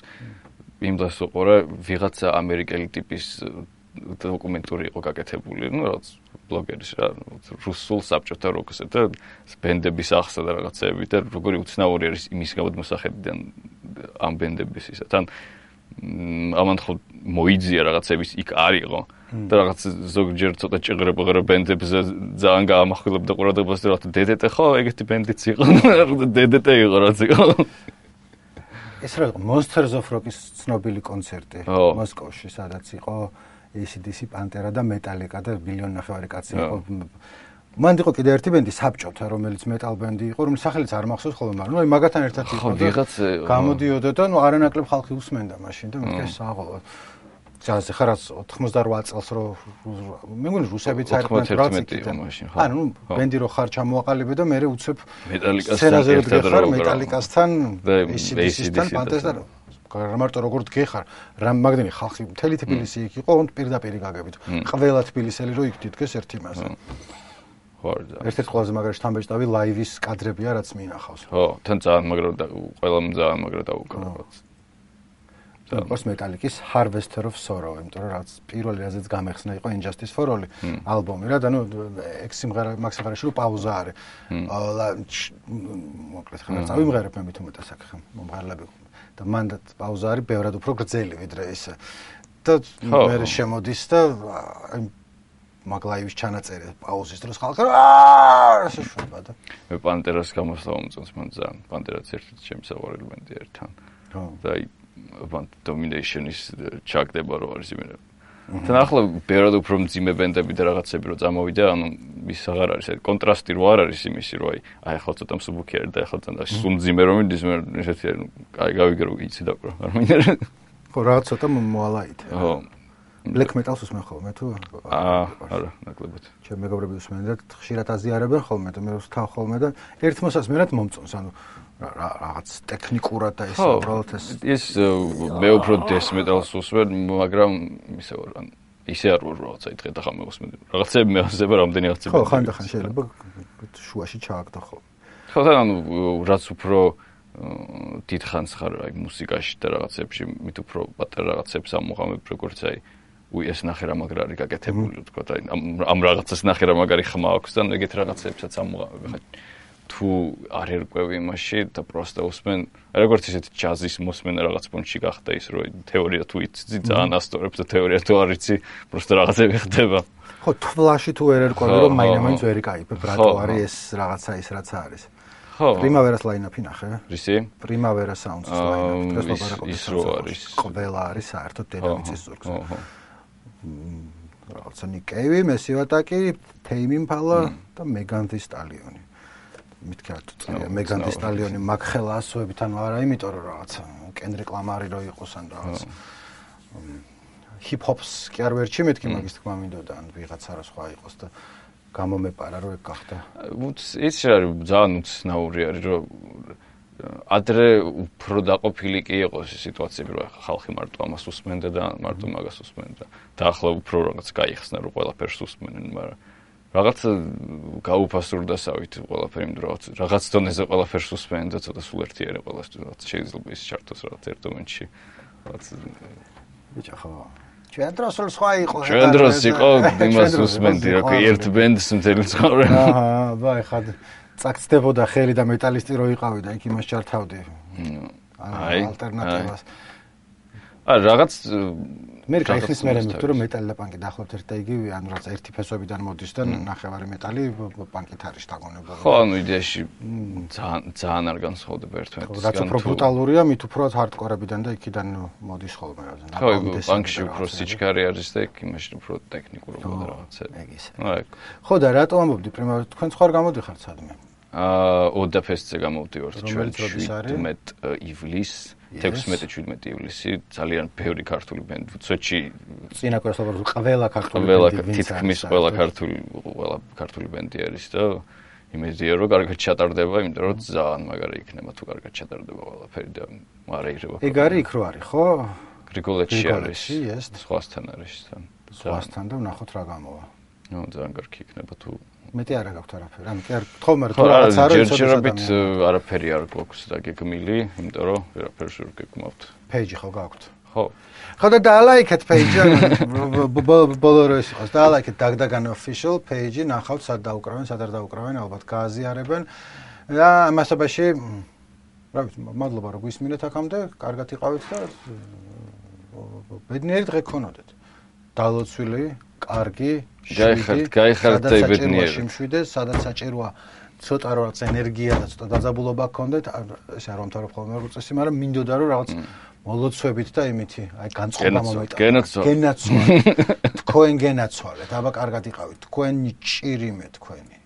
იმ დღეს ვიყურე ვიღაცა ამერიკელი ტიპის დოკუმენტური იყო გაკეთებული ნუ რაღაც ბლოგერის რა რუსულ საბჭოთა როკზე და ბენდების ახსნა და რაღაცეები და როგორი უცნაური არის იმის გამოდმოსახედიდან ამ ბენდების ისა თან ამან ხო მოიძია რაღაცების იქ არისო და რაღაც ზოგჯერ ცოტა ჭიღრებღერა ბენდებზე ძალიან გაამახვილებდა ყურადღებას და რაღაც DDT ხო ეგეთი ბენდიც იყო DDT იყო რაც იყო ეს რა Monsters of Rock-ის ცნობილი კონცერტი მოსკოვში სადაც იყო AC/DC პანტერა და მეტალიკა და ბილიონი ნახევარი კაცი იყო. მან იყო კიდე ერთი ბენდი საბჭოთა, რომელიც მეტალ ბენდი იყო, რომელიც სახელიც არ მახსოვს ხოლმე, მაგრამ ნუ მაგათთან ერთად იყო და გამოდიოდა და ნუ არანაკლებ ხალხი უსმენდა მაშინ და მეთქე საღოლო. ძალზე ხარაც 88 წელს რო მე მგონი რუსებიც არიან პროცენტი მაშინ ხო. ანუ ბენდი რო ხარ ჩამოაყალიბე და მე უცებ მეტალიკასთან ერთად რო მეტალიკასთან AC/DC-თან პანტერასთან მარტო როგორ დგეხარ რა მაგდენი ხალხი მთელი თბილისი იქ იყო und პირდაპირ გაგებით ყველა თბილისელი რო იქ დიდგეს ერთი მასე ხო ერთ-ერთი ყველაზე მაგრა შთამბეჭდავი ლაივის კადრებია რაც მინახავს ხო თან ძალიან მაგრა და ყველამ ძალიან მაგრა დაუკრა პოს მეტალიკის Harvester of Sorrow, იმიტომ რომ რაც პირველი რაზეც გამეხსნა იყო Injustice for All ალბომი რა და ნუ 6 სიმღერა მაგ სიმღერაში რო პაუზა არის. მოკლედ ხარ წავიმღერებ მე მით უმეტეს აქ მომღერლები და მანდ პაუზა არის ბევრად უფრო გრძელი ვიდრე ის და მე შემოდის და მაგლაივის ჩანაწერი პაუზის დროს ხალხი შეშვება და მე პანტერას გამოსვლა მომწონს მან ძალიან პანტერაც ერთ-ერთი ჩემი საყვარელი ბენდია ერთთან და აი Domination-ის ჩაგდება რო არის იმენა თან ახლა ბევრად უფრო მძიმე ბენდები და რაღაცები რო წამოვიდა ანუ ის აღარ არის აი კონტრასტი რო არ არის იმისი რო აი ახლა ცოტა მსუბუქი არის და ახლა თან სულ მძიმე რომ მიდის მე ესეთი აი გავიგე რომ იცი დაკრო არ მინდა ხო რაღაც ცოტა მოალაით ხო Black Metal-ს უსმენ ხოლმე თუ? არა, ნაკლებად. ჩემი მეგობრები უსმენენ და ხშირად აზიარებენ ხოლმე და მე ვსთავ ხოლმე და ერთ მოსასმენად მომწონს, ანუ რაღაც ტექნიკურად და ეს უბრალოდ ეს მე უფრო death metal-ს უსმენ, მაგრამ ისე ვარ, ან ისე არ ვარ რაღაცა იტყე და ხომ მევსმენ. რაღაცები მეავსება რამდენი აღწევი. ხო, ხანდახან შეიძლება შუაში ჩააგდო ხოლმე. ხო, ანუ რაც უფრო დიდხანს ხარ აი მუსიკაში და რაღაცებში, მით უფრო პატარა რაღაცებს ამოღამებ როგორც აი ეს ნახე რა მაგრარი გაკეთებული თქვა და ამ რაღაცას ნახე რა მაგარი ხმა აქვს და ეგეთ რაღაცებსაც ამოღამებ ხა თუ არ ერკვევი იმაში და პროსტა უსმენ როგორც ისეთ ჯაზის მოსმენა რაღაც პონჩი გახდა ის რომ თეორია თუ იცი ძალიან ასწორებს და თეორია თუ არ იცი პროსტა რაღაცები ხდება ხო თვლაში თუ ვერ ერკვევი რომ მაინც ვერ იკაიფებ რატო არის ეს რაღაცა ის რაც არის ხო Primavera-ს line-up-ი ნახე რისი Primavera Sounds-ის line-up ის რო არის ყველა არის საერთოდ დედამიწის ზურგზე რაღაცა ნიკეივი, მესივატაკი, თეიმი მფალა და მეგან დი სტალიონი. მითქი რატო წერია მეგან დი სტალიონი მაგხელა ასოებით ანუ არა, იმიტომ რომ რაღაცა კენდრიკ ლამარი რო იყოს ან რაღაც ჰიპ-ჰოპს კი არ ვერჩი მეთქი მაგის თქმა მინდოდა ან ვიღაცა რა სხვა იყოს და გამომეპარა რომ ეგ გახდა. ის არის ძალიან უცნაური არის რომ ადრე უფრო დაყოფილი კი იყოს სიტუაციები რომ ხალხი მარტო ამას უსმენდა და მარტო მაგას უსმენდა და ახლა უფრო რაღაც გაიხსნა რომ ყველაფერს უსმენენ მაგრამ რაღაც გაუფასურდასავით ყველაფერი იმდროც რაღაც დონეზე ყველაფერს უსმენენ და ცოტა სულ ერთიანი ყველასთვის შეიძლება ის ჩართოს რაღაც ერთ მომენტში რაღაც ბიჭო ხო ჩვენ დროს სხვა იყო ჩვენ დროს იყო იმას უსმენდი რა კი ერთ ბენდს მთელი ცხოვრება აჰა ვაი ხად წაგწდებოდა ხელი და მეტალისტი რო იყავი და იქ იმას ჩართავდი. აი ალტერნატივას. რაღაც მე კაიხის მე მეთქი რომ მეტალი და პანკი დაახლოებით ერთ და იგივე ანუ რაღაც ერთი ფესვებიდან მოდის და ნახევარი მეტალი პანკით არის დაგონებული. ხო, ანუ იდეაში ძალიან არ განსხვავდება ერთმანეთისგან. რაც უფრო ბრუტალურია, მით უფრო ჰარდკორებიდან და იქიდან მოდის ხოლმე რაღაც. ხო, პანკში უფრო სიჩქარე არის და იქ იმაში უფრო ტექნიკურობა რაღაცა. ეგ ისე. ხო და რატო ამბობდი პრიმავერ თქვენ სხვა გამოდიხართ სადმე? ოდაფესტზე გამოვდივართ ჩვენ 17 ივლისს 16-17 ივლისი ძალიან ბევრი ქართული ბენდი სოჩი წინა კვირას ლაპარაკობ ყველა ქართული ბენდი თითქმის ყველა ქართული ბენდი არის და იმედია რომ კარგად ჩატარდება იმიტომ რომ ძალიან მაგარი იქნება თუ კარგად ჩატარდება ყველაფერი და მარაირება ეგ არის იქ რო არის ხო გრიგოლეთში არის სხვასთან არის სხვასთან და ვნახოთ რა გამოვა ნუ ძალიან კარგი იქნება თუ მეტი არა გაქვთ არაფერი. ანუ კი არ თხოვმე რომ თუ რაღაც არ არის, ჯერჯერობით არაფერი არ გვაქვს დაგეგმილი, იმიტომ რომ ვერაფერს ვერ გეკმავთ. Page ხო გაქვთ? ხო. ხო და დაალაიქეთ page, ბოლო რო ის იყოს. დაალაიქეთ დაგდაგან official page, ნახავთ სად დაუკრავენ, სად არ დაუკრავენ, ალბათ გააზიარებენ. და ამასობაში რა ვიცი, მადლობა რომ გვისმინეთ აქამდე, კარგად იყავით და ბედნიერი დღე გქონოდეთ. დალოცვილი, კარგი გაიხართ და იბედნიერი. შემშვიდეს, სადაც საჭიროა ცოტა რაღაც ენერგია და ცოტა დაძაბულობა გქონდეთ, ეს არ ვამთავრებ ხოლმე როგორც წესი, მაგრამ მინდოდა რომ რაღაც მოლოცვებით და იმითი, აი განწყობა მომეტანოთ. გენაცვალეთ. თქვენ გენაცვალეთ, აბა კარგად იყავით. თქვენი ჭირიმე თქვენი.